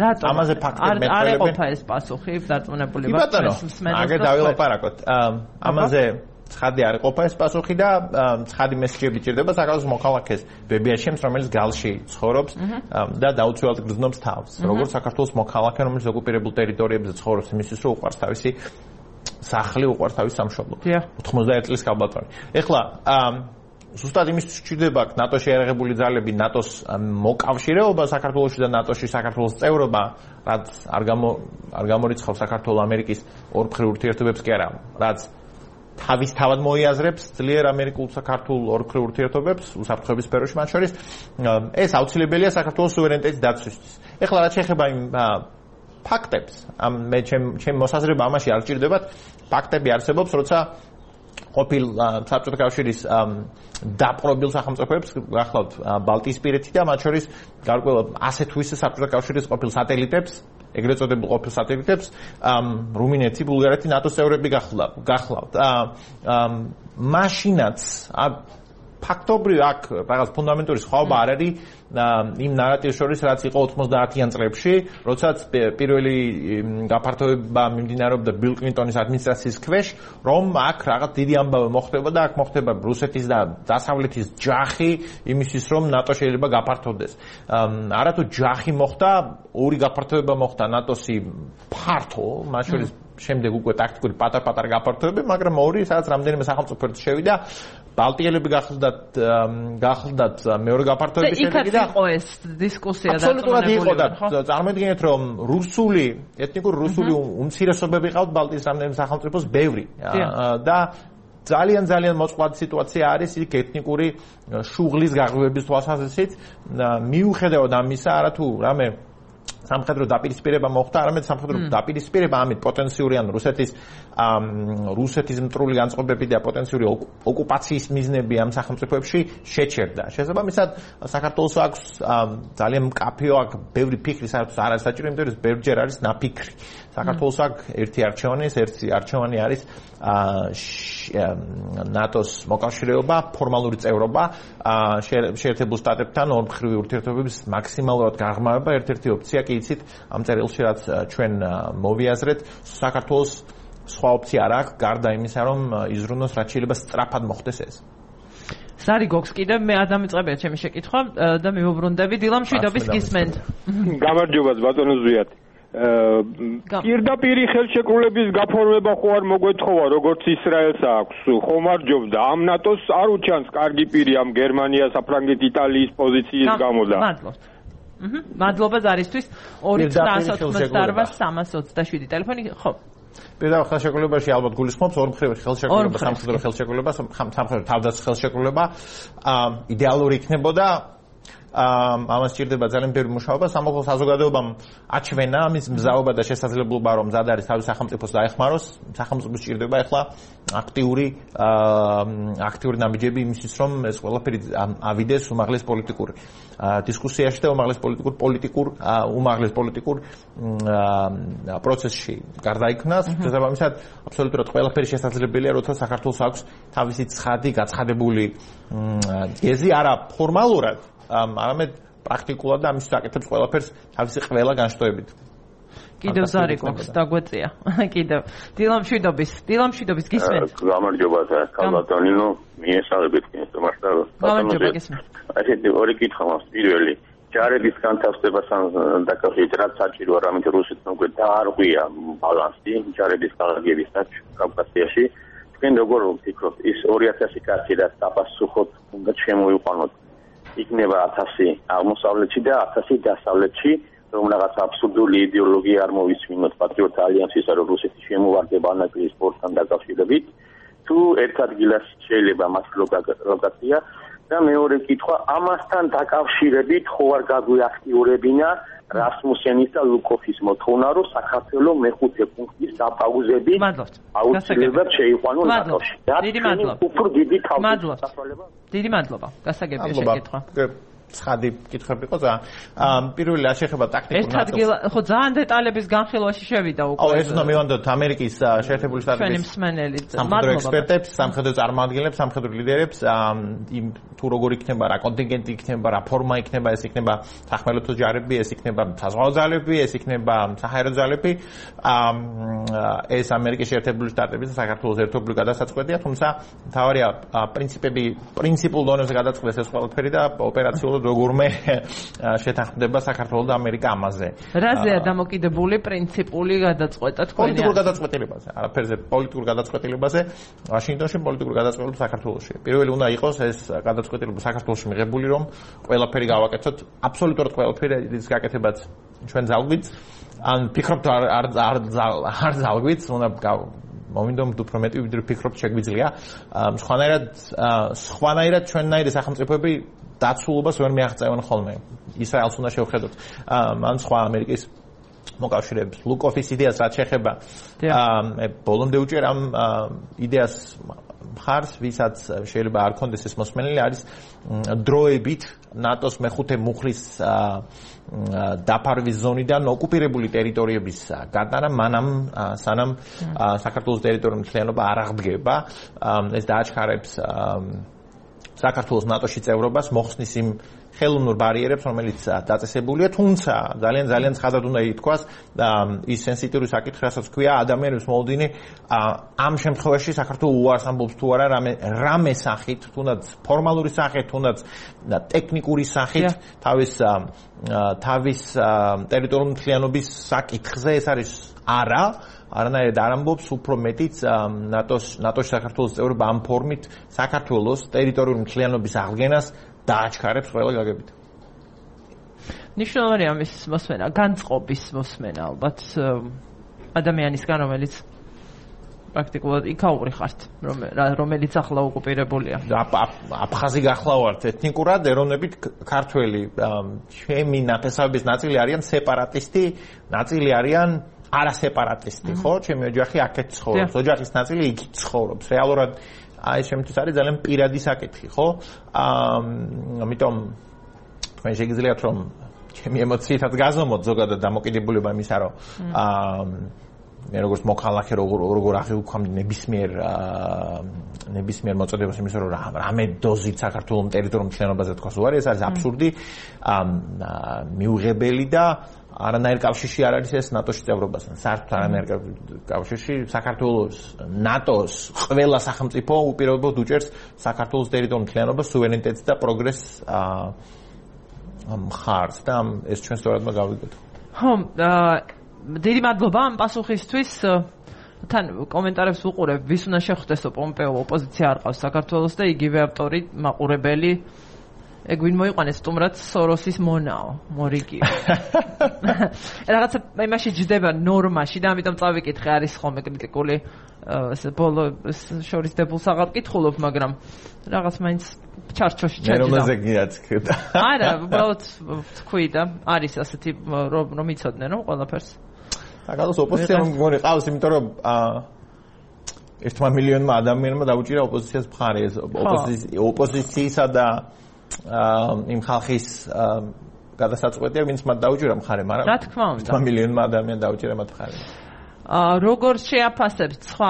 A: რატომ?
B: ამაზე ფაქტები მეტყველებენ.
A: არ ეყოფა ეს პასუხი, დარწმუნებული ვარ.
B: აგერ დავილაპარაკოთ. ამაზე ცხადი არ ეყოფა ეს პასუხი და ცხადი მესიჯები ჭირდება საქართველოს მოქალაქეს ბებიაშემს, რომელიც გალში ცხოვრობს და დაუცველად გრძნობს თავს. როგორც საქართველოს მოქალაქე, რომელიც ოკუპირებულ ტერიტორიებზე ცხოვრობს, იმისთვის რომ უყვარს თავისი სახლი, უყვარს თავის სამშობლო. 91 წლის კაბატონი. ეხლა ზუსტად იმის სჭირდება ნატოში ერაღებული ძალები, ნატოს მოკავშირეობა საქართველოში და ნატოში საქართველოს წევრობა, რაც არ გამორიცხავს საქართველოს ამერიკის ორმხრივ ურთიერთობებს კი არა, რაც თავისთავად მოიაზრებს ძლიერ ამერიკულ საქართველოს ორმხრივ ურთიერთობებს უსაფრთხოების სფეროში მათ შორის. ეს აუცილებელია საქართველოს სუვერენიტეტის დაცვისთვის. ეხლა რაც შეეხება იმ ფაქტებს, მე ჩემ მოსაზრება ამაში არ ჭირდებათ, ფაქტები არსებობს, როცა ყოფილ საბჭოთა კავშირის დაპყრობილ სახელმწიფოებს გახლავთ ბალტიისპირეთი და მათ შორის გარკვეულად ასე თუ ისე საბჭოთა კავშირის ყოფილ სატელიტებს, ეგრეთ წოდებულ ყოფილ სატელიტებს, რუმინეთი, ბულგარეთი ნატოს წევრები გახლავთ. მაშინაც ფაქტობრივ აქ რაღაც ფუნდამენტური სხვაობა არ არის იმ ნარატივს შორის, რაც იყო 90-იან წლებში, როდესაც პირველი გაფართოება მიმდინარეობდა ბილ კლინტონის ადმინისტრაციის ქვეშ, რომ აქ რაღაც დიდი ამბავი მოხდება და აქ მოხდება რუსეთის და დასავლეთის ჯახი იმისთვის, რომ ნატო შეიძლება გაფართოვდეს. არათუ ჯახი მოხდა, ორი გაფართოება მოხდა ნატოსი ფართო, მათ შორის შემდეგ უკვე ტაქტიკური პატარ-პატარა გაფართოებები, მაგრამ ორი, სადაც რამდენიმე სახელმწიფო შევიდა, ბალტიელები გახლდათ მეორე გაფართოების შედეგი და
A: იყო ეს დისკუსია
B: აბსოლუტურად იყო და წარმოიდგინეთ რომ ეთნიკური რუსული უმცირესობები ყავთ ბალტიის რამდენიმე სახელმწიფოს ბევრი და ძალიან მოწყვლადი სიტუაცია არის იქ ეთნიკური შუღლის გაღვივების თვალსაზრისით მიუხედავად ამისა არათუ რამე სამხედრო დაპირისპირება მოხდა, არამედ სამხედრო დაპირისპირება ამით პოტენციური ან რუსეთის მტრული განწყობები და პოტენციური ოკუპაციის მიზნები ამ სახელმწიფოებში შეჩერდა. შესაბამისად, საქართველოს აქვს ძალიან მკაფიო აქ ბევრი ფიქრი, საერთოდ არ არის საჭირო, იმიტომ რომ ბევრჯერ არის ნაფიქრი. საქართველოს აქვს ერთი არჩევანი არის ნატოს მოკავშირეობა, ფორმალური წევრობა, შეერთებულ შტატებთან ორმხრივი ურთიერთობების მაქსიმალურად გაღრმავება, ერთ-ერთი ოპცია კი იცით ამ წერილში რაც ჩვენ მოვიაზრეთ, საქართველოს სხვა ოპცია არ აქვს, გარდა იმისა, რომ იზრუნოს რაც შეიძლება სწრაფად მოხდეს ეს.
A: სარი გოქს კიდევ მე არ დამიწყებია ჩემი შეკითხვა და მივუბრუნდები დილამშვიდობის გისმენთ.
E: გამარჯობა ბატონო ზვიად. პირდაპირი ხელშეკრულების გაფორმება ხო არ მოგვეთხოვა, როგორც ისრაელს აქვს, ხომ არ ჯობდა ამ ნატოს არ უჩანს კარგი პირი ამ გერმანია, საფრანგეთ, იტალიის პოზიციის გამო და
A: მადლობთ. მადლობა ზარისთვის 298-327 ტელეფონი ხო
B: პირდაპირ ხელშეკრულებაში ალბათ გულისხმობს ორმხრივ ხელშეკრულება, სამხედრო ხელშეკრულება, სამხედრო თავდაცვის ხელშეკრულება იდეალური იქნებოდა ამას სჭირდება ძალიან ბევრი მუშაობა, სამოქალაქო საზოგადოებამ აჩვენა ამის მზაობა და შესაძლებლობა, რომ მზად არის თავის სახელმწიფოს დაეხმაროს, სახელმწიფოს სჭირდება ახლა აქტიური ნაბიჯები იმისთვის, რომ ეს ყველაფერი ავიდეს უმაღლეს პოლიტიკურ დისკუსიაში და უმაღლეს პოლიტიკურ პროცესში გარდაიქმნას. შესაბამისად, აბსოლუტურად ყველაფერი შესაძლებელია, როცა საქართველოს აქვს თავისი ცხადი, გაცხადებული გეზი, არა ფორმალურად, არამედ პრაქტიკულად და ამის საკითხებს ყველაფერს თავისი ყველა განშტოებით.
A: კიდევ ზარი გვაქვს დაგვეწია. კიდევ დილამშვიდობის გისმენთ.
F: გამარჯობა ქალბატონინო, მიესალმებით მასთან.
A: გამარჯობა გისმენთ.
F: ასეთი ორი კითხვა მაქვს. პირველი, ჯარების განთავსებასთან დაკავშირებით რაც საჭიროა, რამით რუსეთს უკვე დაარღვია ბალანსი ჯარების გააგების კავკასიაში. თქვენ როგორ ვფიქრობთ, ის 2000 კაცი რაც დაპასუხოთ უნდა შემოიყვანოთ იქნება 1000 აღმოსავლეთში და 1000 დასავლეთში, რომ რაღაც აბსურდული იდეოლოგია არ მოვისმინოთ პატრიოტთა ალიანსისა, რომ რუსეთი შემოვარდება ანაკლიის სპორტთან დაკავშირებით. თუ ერთ ადგილას შეიძლება მას ლოკაცია და მეორე კითხვა ამასთან დაკავშირებით ხო არ გაგვიაქტიურებინა რასმუსენის და ლუკოვის მოთხოვნა, რომ საქართველოს მეხუთე პუნქტის დაპაუზებით აუცილებლად შეიყვანონ ნატოში.
A: დიდი მადლობა.
F: უფრო დიდი თავისუფლება.
A: დიდი მადლობა. გასაგებია შეკითხვა.
B: ცხადი კითხვები იყო ძალიან. პირველი რა შეეხება ტაქტიკურ
A: ნაწილს. ერთ ადგილ ხო ძალიან დეტალების განხილვაში შევიდა უკვე.
B: ეს უნდა მივანდოთ ამერიკის შეერთებული შტატების
A: მსმენელი.
B: სამხედრო ექსპერტებს, სამხედრო წარმომადგენლებს, სამხედრო ლიდერებს, იმ თუ როგორ იქნება რა კონტინგენტი იქნება, რა ფორმა იქნება, ეს იქნება სახმელეთო ჯარები, ეს იქნება საზღვაო ძალები, ეს იქნება საჰაერო ძალები. ეს ამერიკის შეერთებული შტატების და საქართველოს ერთობლივ გადასაწყვეტია, თუმცა მთავარია პრინციპულ დონეზე გადაწყვეტეს ეს ყველაფერი და ოპერაციულად როგორმე შეთანხმდება საქართველოს და ამერიკა ამაზე.
A: რაზეა დამოკიდებული პრინციპული გადაწყვეტა თქვენი?
B: პოლიტიკურ გადაწყვეტილებაზე, არაფერზე პოლიტიკურ გადაწყვეტილებაზე, ვაშინგტონში პოლიტიკურ გადაწყვეტილებას საქართველოში. პირველი უნდა იყოს ეს გადაწყვეტილება საქართველოში მიღებული, რომ ყველაფერი გავაკეთოთ, აბსოლუტურად ყველაფერი ის გაკეთებაც ჩვენ ძალგვით, ან ფიქრობთ არ ძალგვით, უნდა მომინდომთ უფრო მეტი ვიდრე ფიქრობთ შეგვიძლია. სხვანაირად ჩვენნაირი სახელმწიფოები დაცულობას ვერ მიაღწევენ ხოლმე. ისრაელს უნდა შევხედოთ. ან სხვა ამერიკის მოკავშირეებს. ლუკოვის იდეას რაც შეეხება, ბოლომდე უჭერ ამ იდეას მხარს, ვისაც შეიძლება არ კონდეს ეს მოსმენელი, არის დროებით ნატოს მეხუთე მუხლის დაფარვის ზონიდან ოკუპირებული ტერიტორიების გატანა, სანამ საქართველოს ტერიტორიული მთლიანობა არ აღდგება. ეს დააჩქარებს საქართველოს ნატოში წევრობას, მოხსნის იმ ხელოვნურ ბარიერებს, რომელიც დაწესებულია, თუმცა ძალიან ცხადად უნდა ითქვას ის სენსიტიური საკითხი, რასაც ქვია ადამიანის მოლოდინი, ამ შემთხვევაში საქართველოს უარს ამბობს თუ არა რამე სახით, თუნდაც ფორმალური სახით, თუნდაც ტექნიკური სახით, თავის ტერიტორიული მთლიანობის საკითხზე ეს არის არანაირად არ ამბობს, უფრო მეტიც ნატოში საქართველოს წევრობა ამ ფორმით საქართველოს ტერიტორიული მთლიანობის აღდგენას დააჩქარებს ყველა გაგებით.
A: ნიშნავენ ამის მოსმენა, განწყობის მოსმენა, ალბათ ადამიანისგან, რომელიც პრაქტიკულად იქაური ხართ, რომელიც ახლა ოკუპირებულია.
B: აფხაზი გახლავართ ეთნიკურად, ეროვნებით ქართველი, ჩემი ნათესავების ნაწილი არიან სეპარატისტი, ნაწილი არიან არასეპარატისტი, ხო? ჩემი ოჯახი აქეთ ცხოვრობს, ოჯახის ნაწილი იქით ცხოვრობს. რეალურად აი შემთხვევით არის ძალიან პირადი საკითხი, ხო? ამიტომ თქვენ შეგიძლიათ რომ ჩემი ემოციითაც გაზომოთ ზოგადად დამოკიდებულება იმისა, რომ მე როგორც მოქალაქე როგორ აღიქვამდი ნებისმიერ მოწოდებას იმისა, რომ რამე დოზით საქართველოს ტერიტორიულ მთლიანობაზე თქვას უარი, ეს არის აბსურდი, მიუღებელი და არანაირ კავშირში არ არის ეს ნატოში წევრობასთან. საერთოდ არანაირ კავშირში საქართველოს ნატოს ყველა სახელმწიფო უპირობოდ უჭერს საქართველოს ტერიტორიულ მთლიანობას, სუვერენიტეტს და პროგრესს მხარს და ეს ჩვენ სწორად გავიგოთ.
A: ხო, დიდი მადლობა ამ პასუხისთვის. თან კომენტარებს ვუყურებ, ვის უნდა შეხვდესო პომპეო ოპოზიცია არ ყავს საქართველოს და იგივე ავტორი მაყურებელი ეგ ვინ მოიყვანეს სტუმრად სოროსის მონაო, მორიგი. რაღაცა იმაში ჯდება ნორმაში და ამიტომ წავიკითხე, არის ხოლმე კრიტიკული ბოლო შორის დებულს აღარ კითხულობ, მაგრამ რაღაც მაინც ჩარჩოში ჩაჯდა.
B: ნორმაზე გიაცქრდა.
A: არა, უბრალოდ თქვი და არის ასეთი რომ იცოდნენ რომ ყველაფერს.
B: საქართველოს ოპოზიცია მგონი ყავს, იმიტომ რომ 1 მილიონმა ადამიანმა დაუჭირა ოპოზიციას მხარი, ეს ოპოზიციისა და იმ ხალხის გადასაწყვეტია, ვინც მათ დაუჭირა მხარი, მაგრამ
A: რა თქმა უნდა
B: 1 მილიონმა ადამიანმა დაუჭირა მათ მხარი.
A: როგორ შეაფასებთ სხვა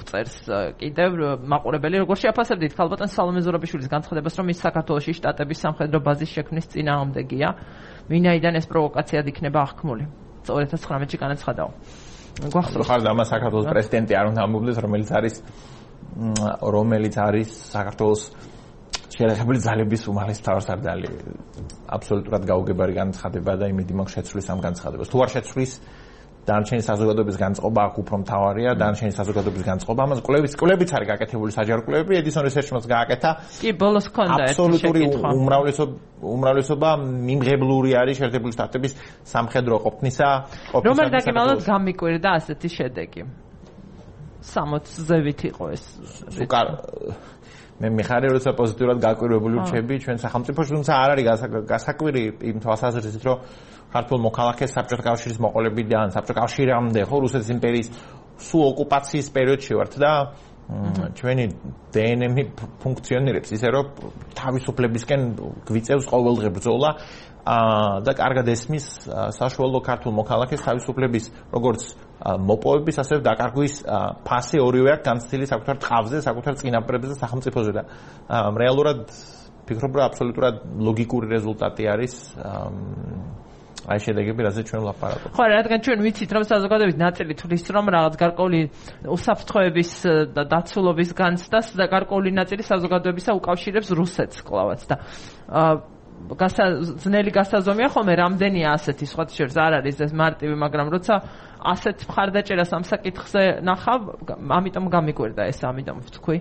A: წერს კიდევ მაყურებელი, როგორ შეაფასებთ ქალბატონ სალომე ზურაბიშვილის განცხადებას, რომ ის საქართველოში შტატების სამხედრო ბაზის შექმნის წინააღმდეგია, ვინაიდან ეს პროვოკაციად იქნება აღქმული. 2019-ში განაცხადაო.
B: გვახსოვს ხარ და საქართველოს პრეზიდენტი არ უნდა ამბობდეს, რომელიც არის საქართველოს შეერთებული ძალების უმაღლეს მთავარსარდალი. აბსოლუტურად გაუგებარი განცხადება და იმედი მაქვს შეცვლის ამ განცხადებას. თუ არ შეცვლის დანარჩენი საზოგადოების განწყობა აქ უფრო მთავარია, დანარჩენი საზოგადოების განწყობა. ამას კვლევებიც არის გაკეთებული, საჯარო კვლევები, Edison Research-მაც გააკეთა.
A: კი, ბოლოს ქონდა ერთი
B: აბსოლუტური უმრავლესობა მიმღებლური არის შეერთებული შტატების სამხედრო ყოფნისა.
A: რომელ დაგემალოთ გამიკვირდა ასეთი შედეგი? 60-ზევით იყო ეს.
B: მე მიხარი როცა პოზიტიურად გაკვირვებული ვრჩები ჩვენ სახელმწიფოში, თუმცა არ არის გასაკვირი იმ თვალსაზრისით, რომ ქართულ მოქალაქეს საბჭოთა კავშირის მოყოლებიდან საბჭოთა კავშირამდე ხო რუსეთის იმპერიის სულ ოკუპაციის პერიოდში ვართ და ჩვენი დნმ-ი ფუნქციონირებს ისე რომ თავისუფლებისკენ გვიწევს ყოველდღე ბრძოლა და კარგად ესმის საშუალო ქართულ მოქალაქეს თავისუფლების როგორც მოპოვების ასევე დაკარგვის ფასი ორივე აქვს განცდილი საკუთარ ტყავზე, საკუთარ წინაპრებზე და სახელმწიფოზე და რეალურად ფიქრობ რომ აბსოლუტურად ლოგიკური რეზულტატი არის აი შედეგები რასაც ჩვენ ვლაპარაკობთ.
A: ხო, რადგან ჩვენ ვიცით რომ საზოგადოების ნაწილი თვლის რომ რაღაც გარკვეული უსაფრთხოების და დაცულობის განცდას და გარკვეული ნაწილი საზოგადოებისა უკავშირებს რუსეთს კლავაც და ძნელი გასაზომია ხოლმე რამდენია ასეთი სხვათა შორის არ არის ეს მარტივი, მაგრამ როცა ასეთ მხარდაჭერას ამ საკითხზე ნახავ, ამიტომ გამიკვირდა ეს, ამიტომ ვთქვი.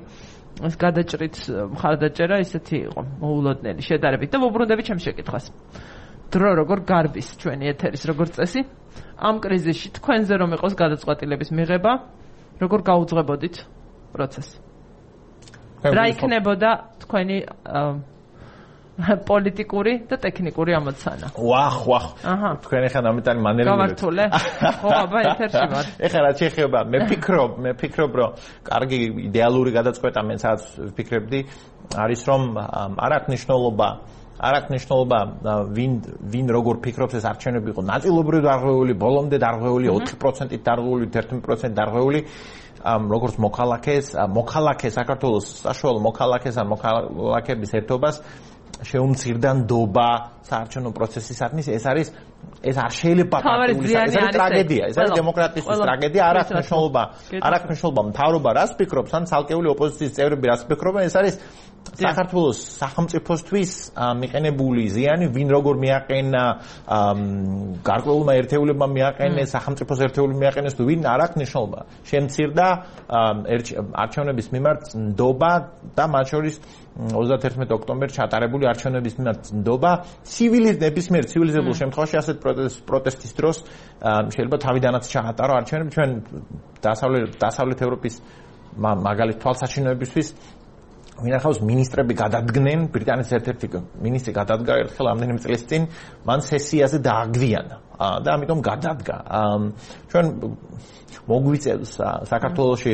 A: ეს გადაჭრით მხარდაჭერა ისეთი იყო მოულოდნელი შედარებით და ვუბრუნდები ჩემს შეკითხვას. დრო როგორ გარბის ჩვენი ეთერის როგორც წესი ამ კრიზისში თქვენზე რომ იყოს გადაწყვეტილების მიღება, როგორ გაუძღვებოდით პროცესს? რა იქნებოდა თქვენი პოლიტიკური და ტექნიკური ამოცანა?
B: ვახ. თქვენ ახლა ამიტანი მანერები
A: გავართულე? ხო, აბა ეთერში ვარ.
B: ეხლა რა შეიძლება? მე ფიქრობ, რომ კარგი იდეალური გადაწყვეტა მე სადაც ვფიქრებდი, არის რომ არ აქვს ნიშნულობა ვინ როგორ ფიქრობს ეს არჩევნები იყო ნაწილობრივ დარღვეული, ბოლომდე დარღვეული, 4%-ით დარღვეული, 11%-ით დარღვეული როგორც მოქალაქეს საქართველოს საშუალო მოქალაქეს ან მოქალაქების ერთობას შეუმცირდა ნდობა საარჩევნო პროცესისათვის ეს არ შეიძლება პარტიული ეს არის ტრაგედია, ეს არის დემოკრატიის ტრაგედია, არ აქვს მნიშვნელობა მთავრობა რას ფიქრობს ან ცალკეული ოპოზიციის წევრები რას ფიქრობენ, ეს არის საქართველოს სახელმწიფოსთვის მიყენებული ზიანი, ვინ როგორ მიაყენა, გარკვეულმა ერთეულებმა მიაყენეს, სახელმწიფოს ერთეულები მიაყენეს თუ ვინ არ აქვს მნიშვნელობა. შემცირდა არჩევნების მიმართ ნდობა და მათ შორის 31 ოქტომბერს ჩატარებული არჩევნების მიმართ ნდობა ნებისმიერ ცივილიზებულ შემთხვევაში ასეთ პროტესტის დროს შეიძლება თავიდანაც ჩაატარო არჩევნები ჩვენ დასავლეთ ევროპის მაგალითად თვალსაჩინოებისთვის ვინახავს მინისტრები გადადგნენ, ბრიტანეთის ერთ-ერთი მინისტრი გადადგა ერთხელ ამდენიმე წლის წინ, მან სესიაზე დააგვიანა და ამიტომ გადადგა. ჩვენ მოგვიწევს საქართველოში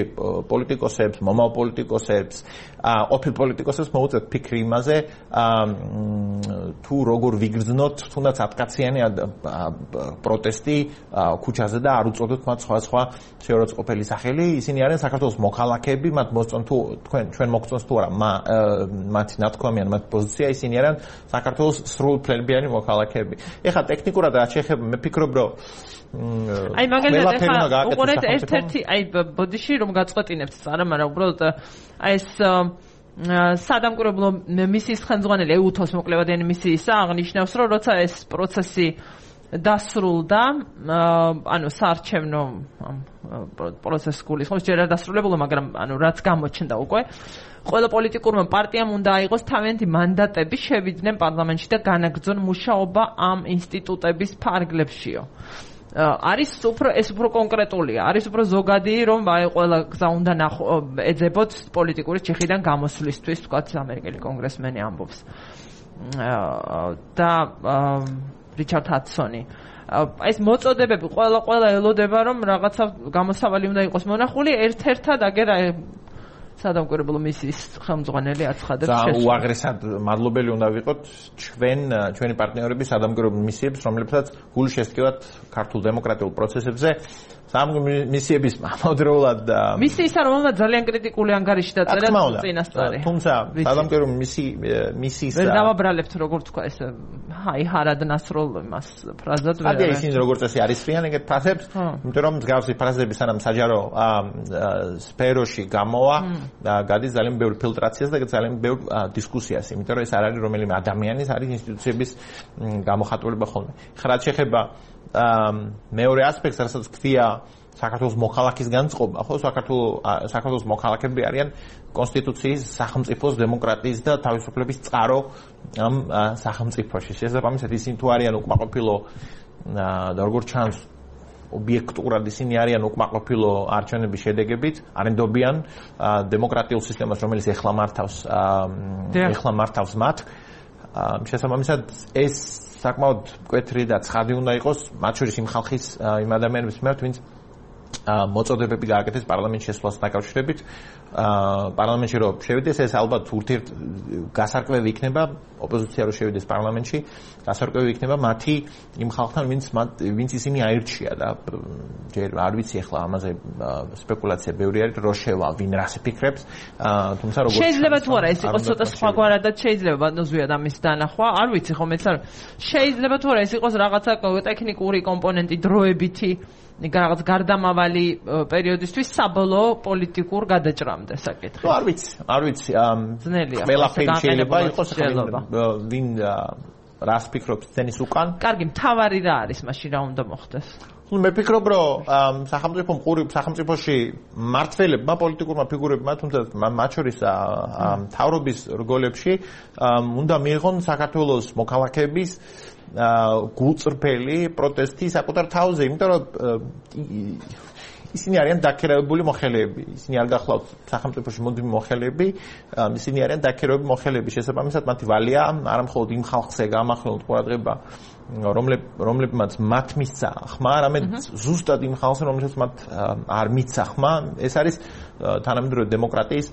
B: პოლიტიკოსებს, მომავალ პოლიტიკოსებს, ყოფილ პოლიტიკოსებს მოუწევთ ფიქრი იმაზე, თუ როგორ ვიგრძნოთ თუნდაც 10-კაციანი პროტესტი ქუჩაზე და არ უწოდოთ მათ სხვა შეურაცხყოფელი სახელი. ისინი არიან საქართველოს მოქალაქეები, მათ მოსწონთ თუ ჩვენ მოგწონს თუ არა მათი ნათქვამი ან მათი პოზიცია, ისინი არიან საქართველოს სრულფლებიანი მოქალაქეები. ეხლა ტექნიკურად რაც შეეხება, მე ფიქრობ, რომ
A: აი მაგალითად ეხლა უყურეთ ერთ-ერთი აი ბოდიში რომ გაწყვეტინებთ წარა, მაგრამ უბრალოდ აი ეს სადამკვირვებლო მისიის ხელმძღვანელი ეუთოს მოკლებადიანი მისიისა აღნიშნავს, რომ როცა ეს პროცესი დასრულდა, ანუ საარჩევნო პროცესი გულისხმობს, ჯერ არ დასრულებულა, მაგრამ ანუ რაც გამოჩნდა უკვე, ყველა პოლიტიკურმა პარტიამ უნდა აიღოს თავიანთი მანდატები, შევიდნენ პარლამენტში და განაგრძონ მუშაობა ამ ინსტიტუტების ფარგლებშიო. არის უფრო კონკრეტულია, არის უფრო ზოგადი, რომ აი ყველა გზა უნდა ეძებოთ პოლიტიკური ჩიხიდან გამოსვლისთვის, თქვათ ამერიკელი კონგრესმენი ამბობს. და რიჩარდ ჰადსონი. ეს მოწოდებები ყველა ელოდება, რომ რაღაცა გამოსავალი უნდა იყოს მონახული, ერთ-ერთად აგერა სადამკვირვებლო მისიის ხელმძღვანელი აცხადებს
B: შესაძლოა. უაღრესად მადლობელი უნდა ვიყოთ ჩვენი პარტნიორების სადამკვირვებლო მისიებს, რომლებსაც გული შესტკივათ ქართულ დემოკრატიულ პროცესებზე. მისიების ამავდროულად
A: მისიისა რომელმაც ძალიან კრიტიკული ანგარიში დაწერა წინასწარი.
B: თუმცა სადამკვირვებლო მისიის
A: ვერ დავაბრალებთ როგორ თქვა ეს ჰარად ნასროლ მას ფრაზად ვერ
B: არის ისინი როგორც წესი არის ფრიან ეგეთ ფრაზებს, იმიტომ რომ მსგავსი ფრაზები სანამ საჯარო სფეროში გამოვა და გადის ძალიან ბევრ ფილტრაციას და ძალიან ბევრ დისკუსიას, იმიტომ რომ ეს არ არის რომელიმე ადამიანის, არის ინსტიტუციების გამოხატულება ხოლმე. ხა რაც შეეხება მეორე ასპექტს, რასაც ქვია საქართველოს მოქალაქის განწყობა, ხო, საქართველოს მოქალაქეები არიან კონსტიტუციის, სახელმწიფოს, დემოკრატიის და თავისუფლების წყარო ამ სახელმწიფოში. შესაბამისად, ისინი თუ არიან უკმაყოფილო და როგორც ჩანს ობიექტურად ისინი არიან უკმაყოფილო არჩევნების შედეგებით, არენდობიან დემოკრატიულ სისტემას, რომელიც ეხლა მართავს მათ. შესაბამისად ეს საკმაოდ მკვეთრი და ცხადი უნდა იყოს, მათ შორის იმ ხალხის იმ ადამიანების მიმართ, ვინც მოწოდებები გააკეთეს პარლამენტში შესვლას დაკავშირებით. პარლამენტში რო შევიდეს, ეს ალბათ ურთიერთ გასარკვევი იქნება, ოპოზიცია რო შევიდეს პარლამენტში, გასარკვევი იქნება მათი იმ ხალხთან, ვინც ისინი აირჩია და ჯერ არ ვიცი ახლა ამაზე სპეკულაცია ბევრი არის, რო შევა, ვინ რას ფიქრებს, თუმცა როგორც
A: შეიძლება თუ არა ეს იყოს ცოტა სხვაგვარად, შეიძლება ბატონზვიად ამის დანახვა, არ ვიცი ხო მეც არ შეიძლება თუ არა ეს იყოს რაღაცა ტექნიკური კომპონენტი, დროებითი რაღაც გარდამავალი პერიოდისთვის საბოლოო პოლიტიკურ გადაჭრამდე საკითხი.
B: არ ვიცი.
A: ძნელია.
B: ყველაფერი შეიძლება იყოს, ვინ რას ფიქრობს თენის უკან.
A: კარგი, მთავარი რა არის მაშინ რა უნდა მოხდეს?
B: მე ვფიქრობ, რომ სახელმწიფოში მმართველებმა, პოლიტიკურმა ფიგურებმა, თუმცა მათ შორის მთავრობის რგოლებში უნდა მიიღონ საქართველოს მოქალაქეების გულწრფელი პროტესტი საკუთარ თავზე, იმიტომ რომ ისინი არიან დაქირავებული მოხელეები. ისინი არ გახლავთ სახელმწიფოში მოდივი მოხელეები, ისინი არიან დაქირავებული მოხელეები. შესაბამისად, მათი ვალია არა მხოლოდ იმ ხალხზე გამახვილოთ ყურადღება, რომლებმაც მათ მისცა ხმა, არამედ ზუსტად იმ ხალხზე, რომელსაც მათ არ მისცა ხმა. ეს არის თანამედროვე დემოკრატიის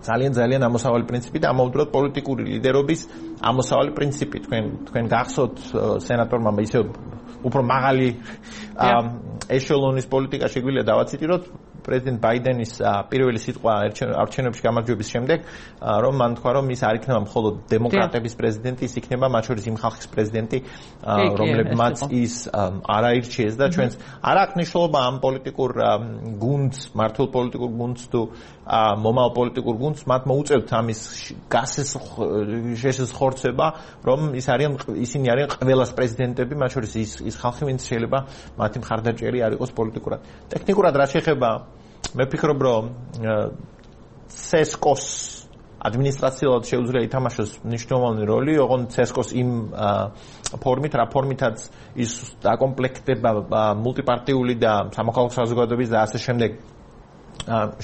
B: ძალიან ამოსავალი პრინციპი და ამავდროულად პოლიტიკური ლიდერობის ამოსავალი პრინციპი. თქვენ გახსოვთ სენატორმა ისე უფრო მაღალი ეშელონის პოლიტიკა შეგვიძლია დავაციტიროთ პრეზიდენტ ბაიდენის პირველი სიტყვა არჩევნებში გამარჯვების შემდეგ, რომ მან თქვა, რომ ის არ იქნება მხოლოდ დემოკრატების პრეზიდენტი, ის იქნება მათ შორის იმ ხალხის პრეზიდენტი, რომლებმაც ის არ აირჩიეს და ჩვენს არ აქვს მნიშვნელობა ამ პოლიტიკურ გუნდს, მართულ პოლიტიკურ გუნდს თუ მომავალ პოლიტიკურ გუნდს, მათ მოუწევთ ამის შესახორცება, რომ ისინი არიან ყველას პრეზიდენტები, მათ შორის ის ხალხი, ვინც შეიძლება მათი მხარდაჭერი არ იყოს პოლიტიკურად. ტექნიკურად რა შეეხება, მე ვფიქრობ, რომ CESCO-ს ადმინისტრაციულად შეუძლია ითამაშოს მნიშვნელოვანი როლი, ოღონდ CESCO-ს იმ ფორმით, რა ფორმითაც ის დაკომპლექტება მულტიპარტიული და სამოქალაქო საზოგადოების და ასე შემდეგ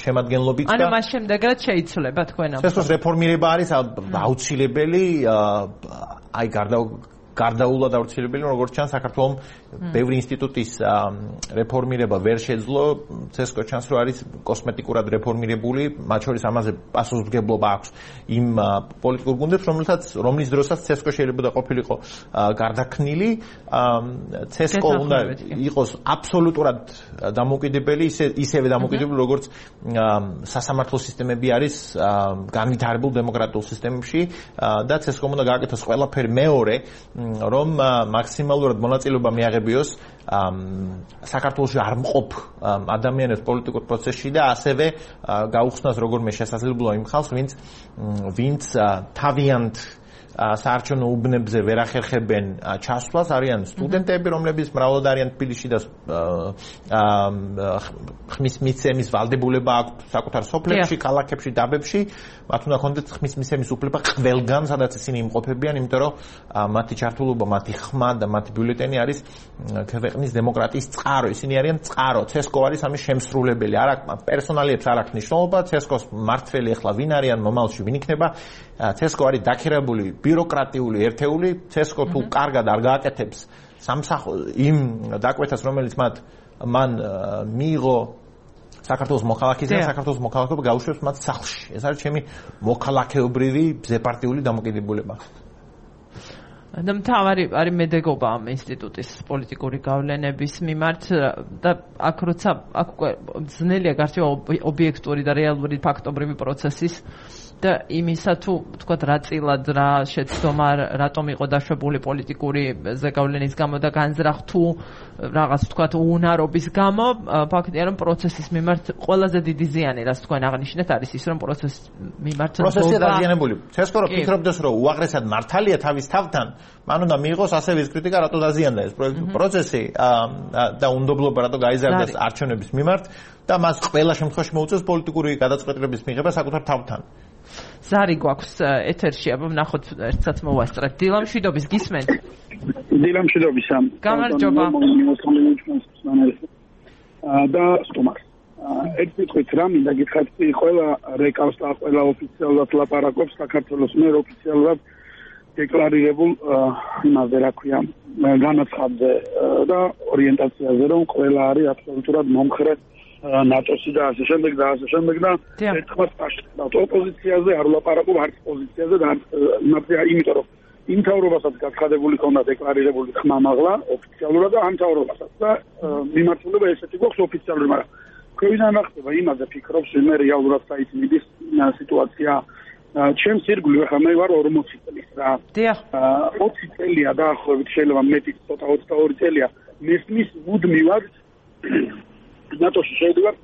B: შემადგენლობით და
A: ანუ მას შემდეგაც შეიცვლება თქვენ ამ
B: CESCO-ს რეფორმირება არის აუცილებელი, აი გარდაულად აუცილებელი, როგორც ჩანს საქართველოს ბევრი ინსტიტუტის რეფორმირება ვერ შეძლო, CESCO ჩანს რომ არის კოსმეტიკურად რეფორმირებული, მათ შორის ამაზე პასუხისმგებლობა აქვს იმ პოლიტიკურ გუნდებს, რომლის დროსაც CESCO შეიძლება ყოფილიყო გარდაქმნილი, CESCO უნდა იყოს აბსოლუტურად დამოუკიდებელი, ისევე დამოუკიდებელი, როგორც სასამართლო სისტემები არის განვითარებულ დემოკრატიულ სისტემებში და CESCO უნდა გააკეთოს ყველაფერი მეორე, რომ მაქსიმალურად მონაწილეობა მიაღებიოს საქართველოში არ მყოფ ადამიანებს პოლიტიკურ პროცესში და ასევე გაუხსნას როგორმე შესაძლებლობა იმ ხალხს, ვინც თავიანთ საარჩევნო უბნებზე ვერ ახერხებენ ჩასვლას, არიან სტუდენტები, რომლებიც მრავლად არიან თბილისში და ხმის მიცემის ვალდებულება აქვს საკუთარ სოფლებში, ქალაქებში, დაბებში, მათ უნდა ჰქონდეთ ხმის მიცემის უფლება ყველგან, სადაც ისინი იმყოფებიან, იმიტომ რომ მათი ჩართულობა, მათი ხმა და მათი ბიულეტენი არის ქვეყნის დემოკრატიის წყარო, ისინი არიან წყარო, CESCO არის ამის შემსრულებელი, არ აქვს პერსონალიებს არ აქვს მნიშვნელობა, CESCO-ს მმართველი ახლა ვინ არიან, მომავალში ვინ იქნება, CESCO არის დაქირავებული ბიუროკრატიული ერთეული, CESCO თუ კარგად არ გააკეთებს იმ დაკვეთას, რომელიც მან მიიღო საქართველოს მოქალაქეზე, საქართველოს მოქალაქეობა გაუშვებს მათ სახლში. ეს არის ჩემი მოქალაქეობრივი ბზეპარტიული დამოკიდებულება.
A: და მთავარი არის მედეგობა ამ ინსტიტუტის პოლიტიკური გავლენების მიმართ და აქ როცა ძნელია გარჩევა ობიექტური და რეალური ფაქტობრივი პროცესის და იმისა თუ თქვა რა წილად რა შეცდომა რატომ იყო დაშვებული პოლიტიკური ზეგავლენის გამო და განზრახ თუ რაღაც თქვა უნარობის გამო, ფაქტია რომ პროცესის მიმართ ყველაზე დიდი ზიანი რაც თქვენ აღნიშნეთ არის ის რომ პროცესის მიმართ
B: პროცესი დაზიანებული. CESCO რო ფიქრობდეს რომ უაღრესად მართალია თავის თავთან, მან უნდა მიიღოს ასევე ის კრიტიკა რატო დაზიანდა ეს პროცესი და უნდობლობა რატო გაიზარდა არჩევნების მიმართ და მას ყველა შემთხვევაში მოუწევს პოლიტიკური გადაწყვეტილების მიღება საკუთარ თავთან.
A: ზარი გვაქვს ეთერში, აბა ვნახოთ ერთსაც მოვასწრებთ. დილა მშვიდობის გისმენთ?
G: დილა მშვიდობისა.
A: გამარჯობა.
G: და სტუმარს. ერთ კითხვით რა მინდა გითხრათ, ყველა რეკავს და ყველა ოფიციალურად ლაპარაკობს საქართველოს მიერ ოფიციალურად დეკლარირებულ იმაზე რა ქვია განაცხადზე და ორიენტაციაზე, რომ ყველა არის აბსოლუტურად მომხრე ნატოსი და ასე შემდეგ და ერთხმად პაშტავთ ოპოზიციაზე არ ვლაპარაკობ არც პოზიციაზე და იმაზე, იმიტომ რომ იმ თავრობასაც გაცხადებული ქონდა დეკლარირებული ხმა მაღლა ოფიციალურად და ამ თავრობასაც და მიმართულება ესეთი გვაქვს ოფიციალური, მაგრამ ქვევიდან რა ხდება იმაზე ფიქრობს მე რეალურად საით მიდის სიტუაცია ჩემს ირგვლივ ხა მე ვარ 40 წლის რა. 20 წელია დაახლოებით შეიძლება მეტი ცოტა 22 წელია მესმის მუდმივად ნატოში შევდივართ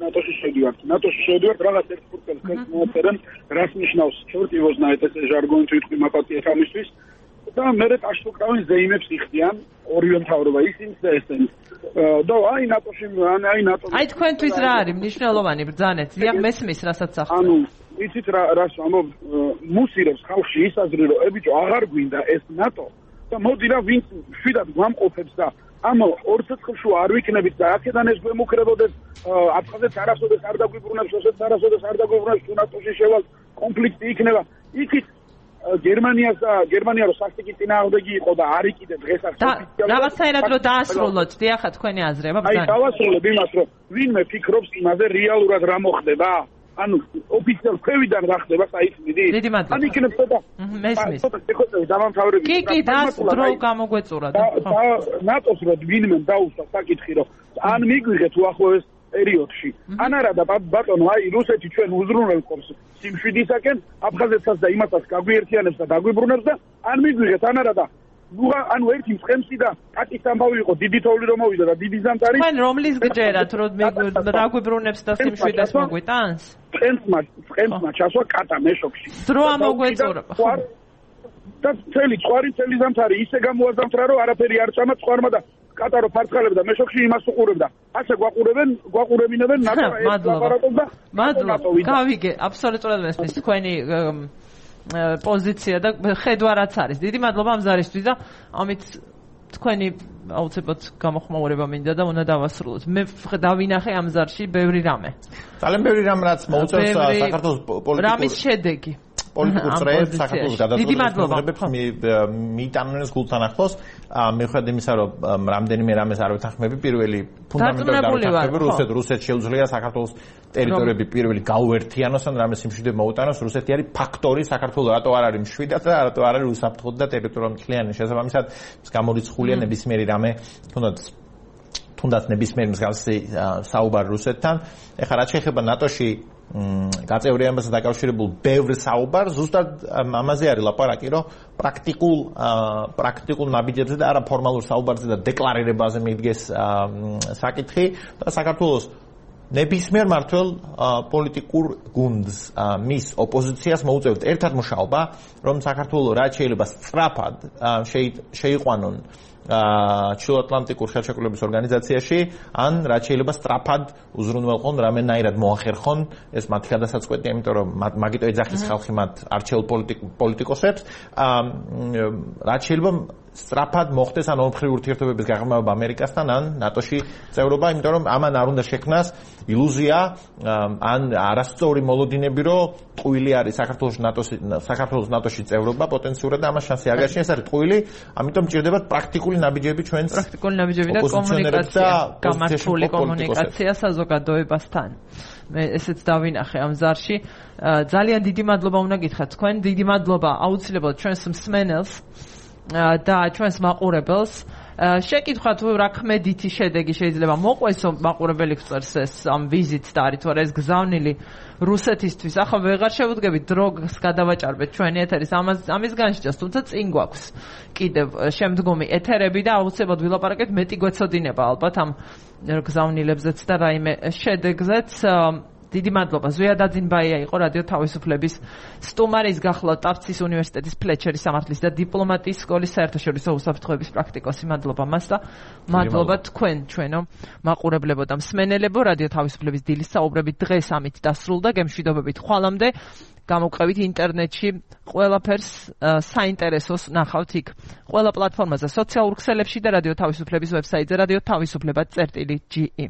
G: რაღაც ერთ ფურცელს მოაწერენ რას ნიშნავს ჩორტივოზნა ეს ჟარგონით ვიტყვი მაპატიეთ ამისთვის და მე ტაშტუკავენ ზეიმებს იხდიან ორივე მთავრობა ისინი და ესენი და აი ნატოში
A: აი თქვენთვის რა არის მნიშვნელოვანი ბრძანეთ ზია მესმის რასაც ახლა
G: ანუ იცით რას ამო მუსირებს ხალხში ის აზრი რომ ებიჭო აღარ გვინდა ეს ნატო და მოდი რა ვინც შვიდად გვამყოფებს და ამ ორ ცეცხლში არ ვიქნებით და აქედან ეს გვემუქრებოდეს აფხაზეთს არასოდეს არ დაგვიბრუნებს რუსეთს არასოდეს არ დაგვიბრუნებს ნატოში შევალ კონფლიქტი იქნება იქით გერმანია რო სასტიკი წინააღმდეგი იყო და არის კიდე დღეს აქ
A: რაღაცაირად რო დაასრულოთ დიახა თქვენი აზრება
G: ბრძანა აი დავასრულებ იმას რომ ვინმე ფიქრობს იმაზე რეალურად რა მოხდება ანუ ოფიციალ ქვევიდან რა ხდება საით მიდის ან იქნებ ცოტა
A: მესმის
G: დამამთავრებელი
A: კი დრო გამოგვეწურა
G: და ნატოს რო ვინმე დაუსვა საკითხი რომ ან მიგვიღეთ უახლოეს პერიოდში ან არა და ბატონო აი რუსეთი ჩვენ უზრუნველყოფს სიმშვიდისაკენ აფხაზეთსაც და იმასაც გაგვიერთიანებს და დაგვიბრუნებს და ან მიგვიღეთ ან არა და ანუ ერთი მწყემსი და კატის ამბავი იყო დიდი თოვლი რომ მოვიდა და დიდი ზამთარი
A: თქვენ რომლის გჯერათ რომ დაგვიბრუნებს და სიმშვიდეს მოგვიტანს
G: წყემსმა ჩასვა კატა მეშოქში
A: დრო ამოგვეწურა
G: და წელი ზამთარი ისე გამოაზამთრა რომ არაფერი არ წამა წყარმა და კატა რო ფარცხალებდა მეშოქში იმას უყურებდა ასე გვაყურებინებენ
A: მადლობა გავიგე აბსოლუტურად მესმის თქვენი პოზიცია და ხედვა რაც არის. დიდი მადლობა ამ ზარისთვის და ამით თქვენი აუცილებლად გამოხმაურება მინდა და უნდა დავასრულოთ. მე დავინახე ამ ზარში ბევრი რამე.
B: ძალიან ბევრი რამ რაც მოუწევს საქართველოს პოლიტიკურ
A: რამის შედეგი.
B: პოლიტიკურ წრეებს საქართველოს
A: გადაწყვეტილებებს
B: მიიტანოს გულთან ახლოს მიუხედავად იმისა რომ რამდენიმე რამეს არ ვეთანხმები პირველი ფუნდამენტური გავეთანხმები რუსეთს შეუძლია საქართველოს ტერიტორიები პირველი გაუერთიანოს ან რამეს იმშვიდე მოუტანოს რუსეთი არის ფაქტორი საქართველოს რატო არ არის მშვიდად და რატო არ არის უსაფრთხო და ტერიტორიული მთლიანი შესაბამისად გამორიცხულია ნებისმიერი რამე თუნდაც ნებისმიერი მსგავსი საუბარი რუსეთთან ეხლა რაც შეეხება ნატოში გაწევრიანებასთან დაკავშირებულ ბევრ საუბარს ზუსტად ამაზე არის ლაპარაკი რომ პრაქტიკულ ნაბიჯებზე და არა ფორმალურ საუბარზე და დეკლარირებაზე მიდგეს საკითხი და საქართველოს ნებისმიერ მართველ პოლიტიკურ გუნდს მის ოპოზიციას მოუწევთ ერთად მუშაობა რომ საქართველოს რაც შეიძლება სწრაფად შეიყვანონ ჩრდილოატლანტიკურ ხელშეკრულების ორგანიზაციაში ან რაც შეიძლება სწრაფად უზრუნველყონ რამენაირად მოახერხონ ეს მათი გადასაწყვეტია იმიტომ რომ მაგიტო ეძახის ხალხი მათ არჩეულ პოლიტიკოსებს რაც შეიძლება სწრაფად მოხდეს ან ორმხრივი ურთიერთობების გაღრმავება ამერიკასთან ან ნატოში წევრობა იმიტომ რომ ამან არ უნდა შექმნას ილუზია ან არასწორი მოლოდინები რომ ტყუილი არის საქართველოს ნატოში წევრობა პოტენციურად და ამას შანსი არ გააჩნია ეს არის ტყუილი ამიტომ ჭირდება პრაქტიკული ნაბიჯები ჩვენს
A: პრაქტიკული ნაბიჯები და კომუნიკაცია გამართული კომუნიკაცია საზოგადოებასთან მე ესეც დავინახე ამ ზარში ძალიან დიდი მადლობა უნდა გითხრათ თქვენ დიდი მადლობა აუცილებლად ჩვენს მსმენელს და ჩვენს მაყურებელს შეკითხვა თუ რა ქმედითი შედეგი შეიძლება მოყვესო მაყურებელი გწერს ეს ამ ვიზიტს და არის თუ არა ეს გზავნილი რუსეთისთვის ახლა ვეღარ შევუდგებით დროგს გადავაჭარბეთ ჩვენი ეთერის ამის განსჯას თუმცა წინ გვაქვს კიდევ შემდგომი ეთერები და აუცილებლად ვილაპარაკეთ მეტი გვეცოდინება ალბათ ამ გზავნილებზეც და რაიმე შედეგზეც დიდი მადლობა ზვია დაძინბაია იყო რადიო თავისუფლების სტუმარი ის გახლავთ ტაფცის უნივერსიტეტის ფლეჩერის სამართლის და დიპლომატიის სკოლის საერთაშორისო უსაფრთხოების პრაქტიკოსი მადლობა მას და მადლობა თქვენ ჩვენო მაყურებლებო და მსმენელებო რადიო თავისუფლების დილის საუბრები დღეს ამით დასრულდა გემშვიდობებით ხვალამდე გამოვყევით ინტერნეტში ყველაფერს საინტერესოს ნახავთ იქ ყველა პლატფორმაზე სოციალურ ქსელებში და რადიო თავისუფლების ვებსაიტზე radio-tavisupleba.ge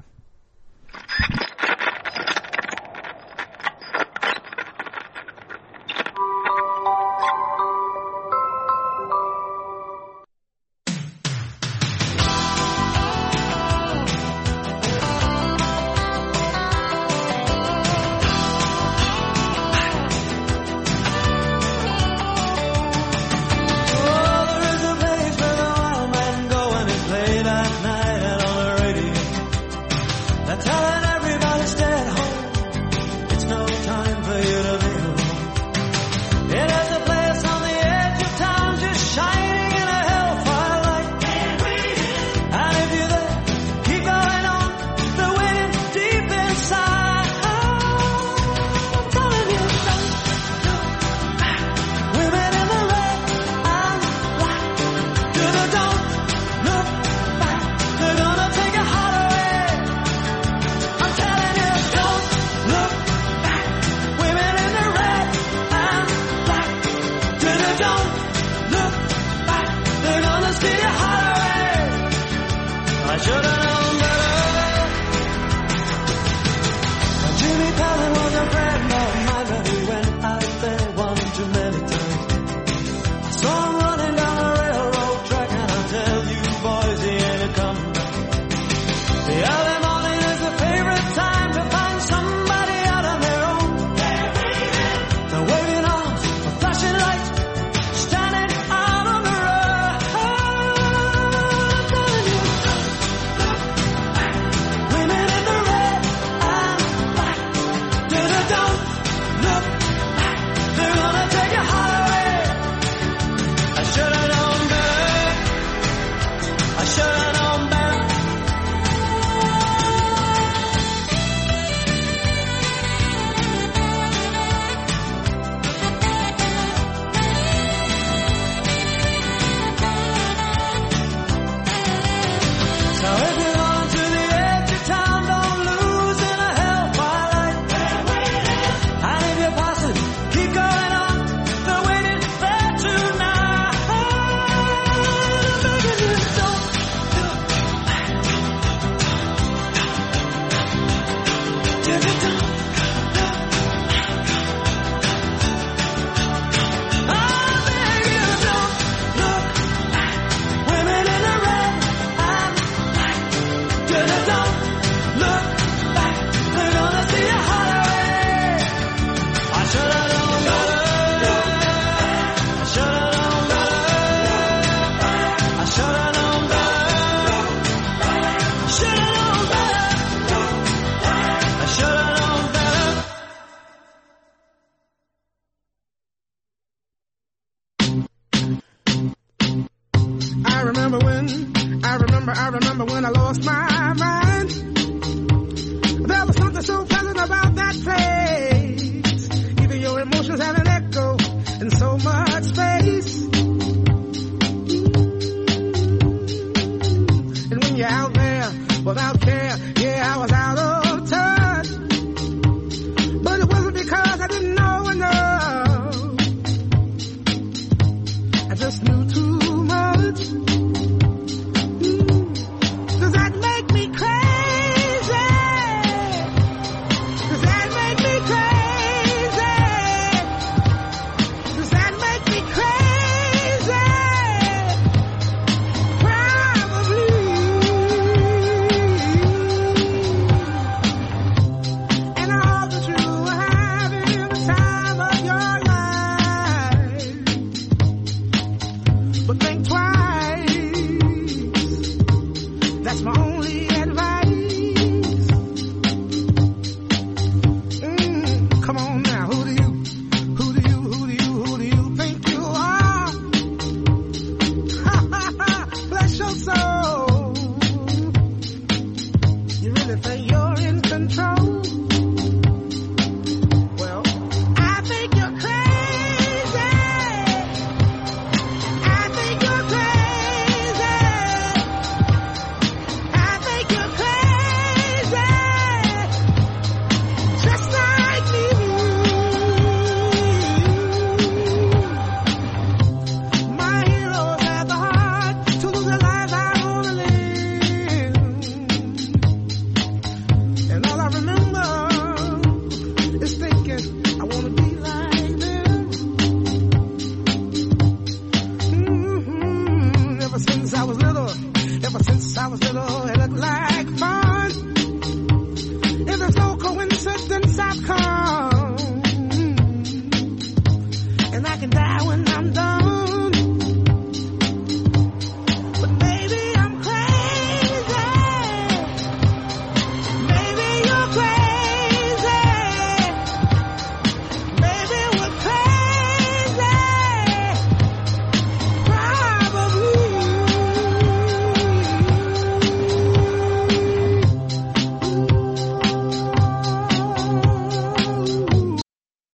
H: I remember when I lost my mind. There was something so pleasant about that place. Even your emotions have an echo in so much space. And when you're out there without care, yeah, I was out of touch. But it wasn't because I didn't know enough. I just knew too much. Does that make me crazy? Does that make me crazy? Does that make me crazy? Probably. And I hope that you are having the time of your life. But think twice. That's my only advice. Come on.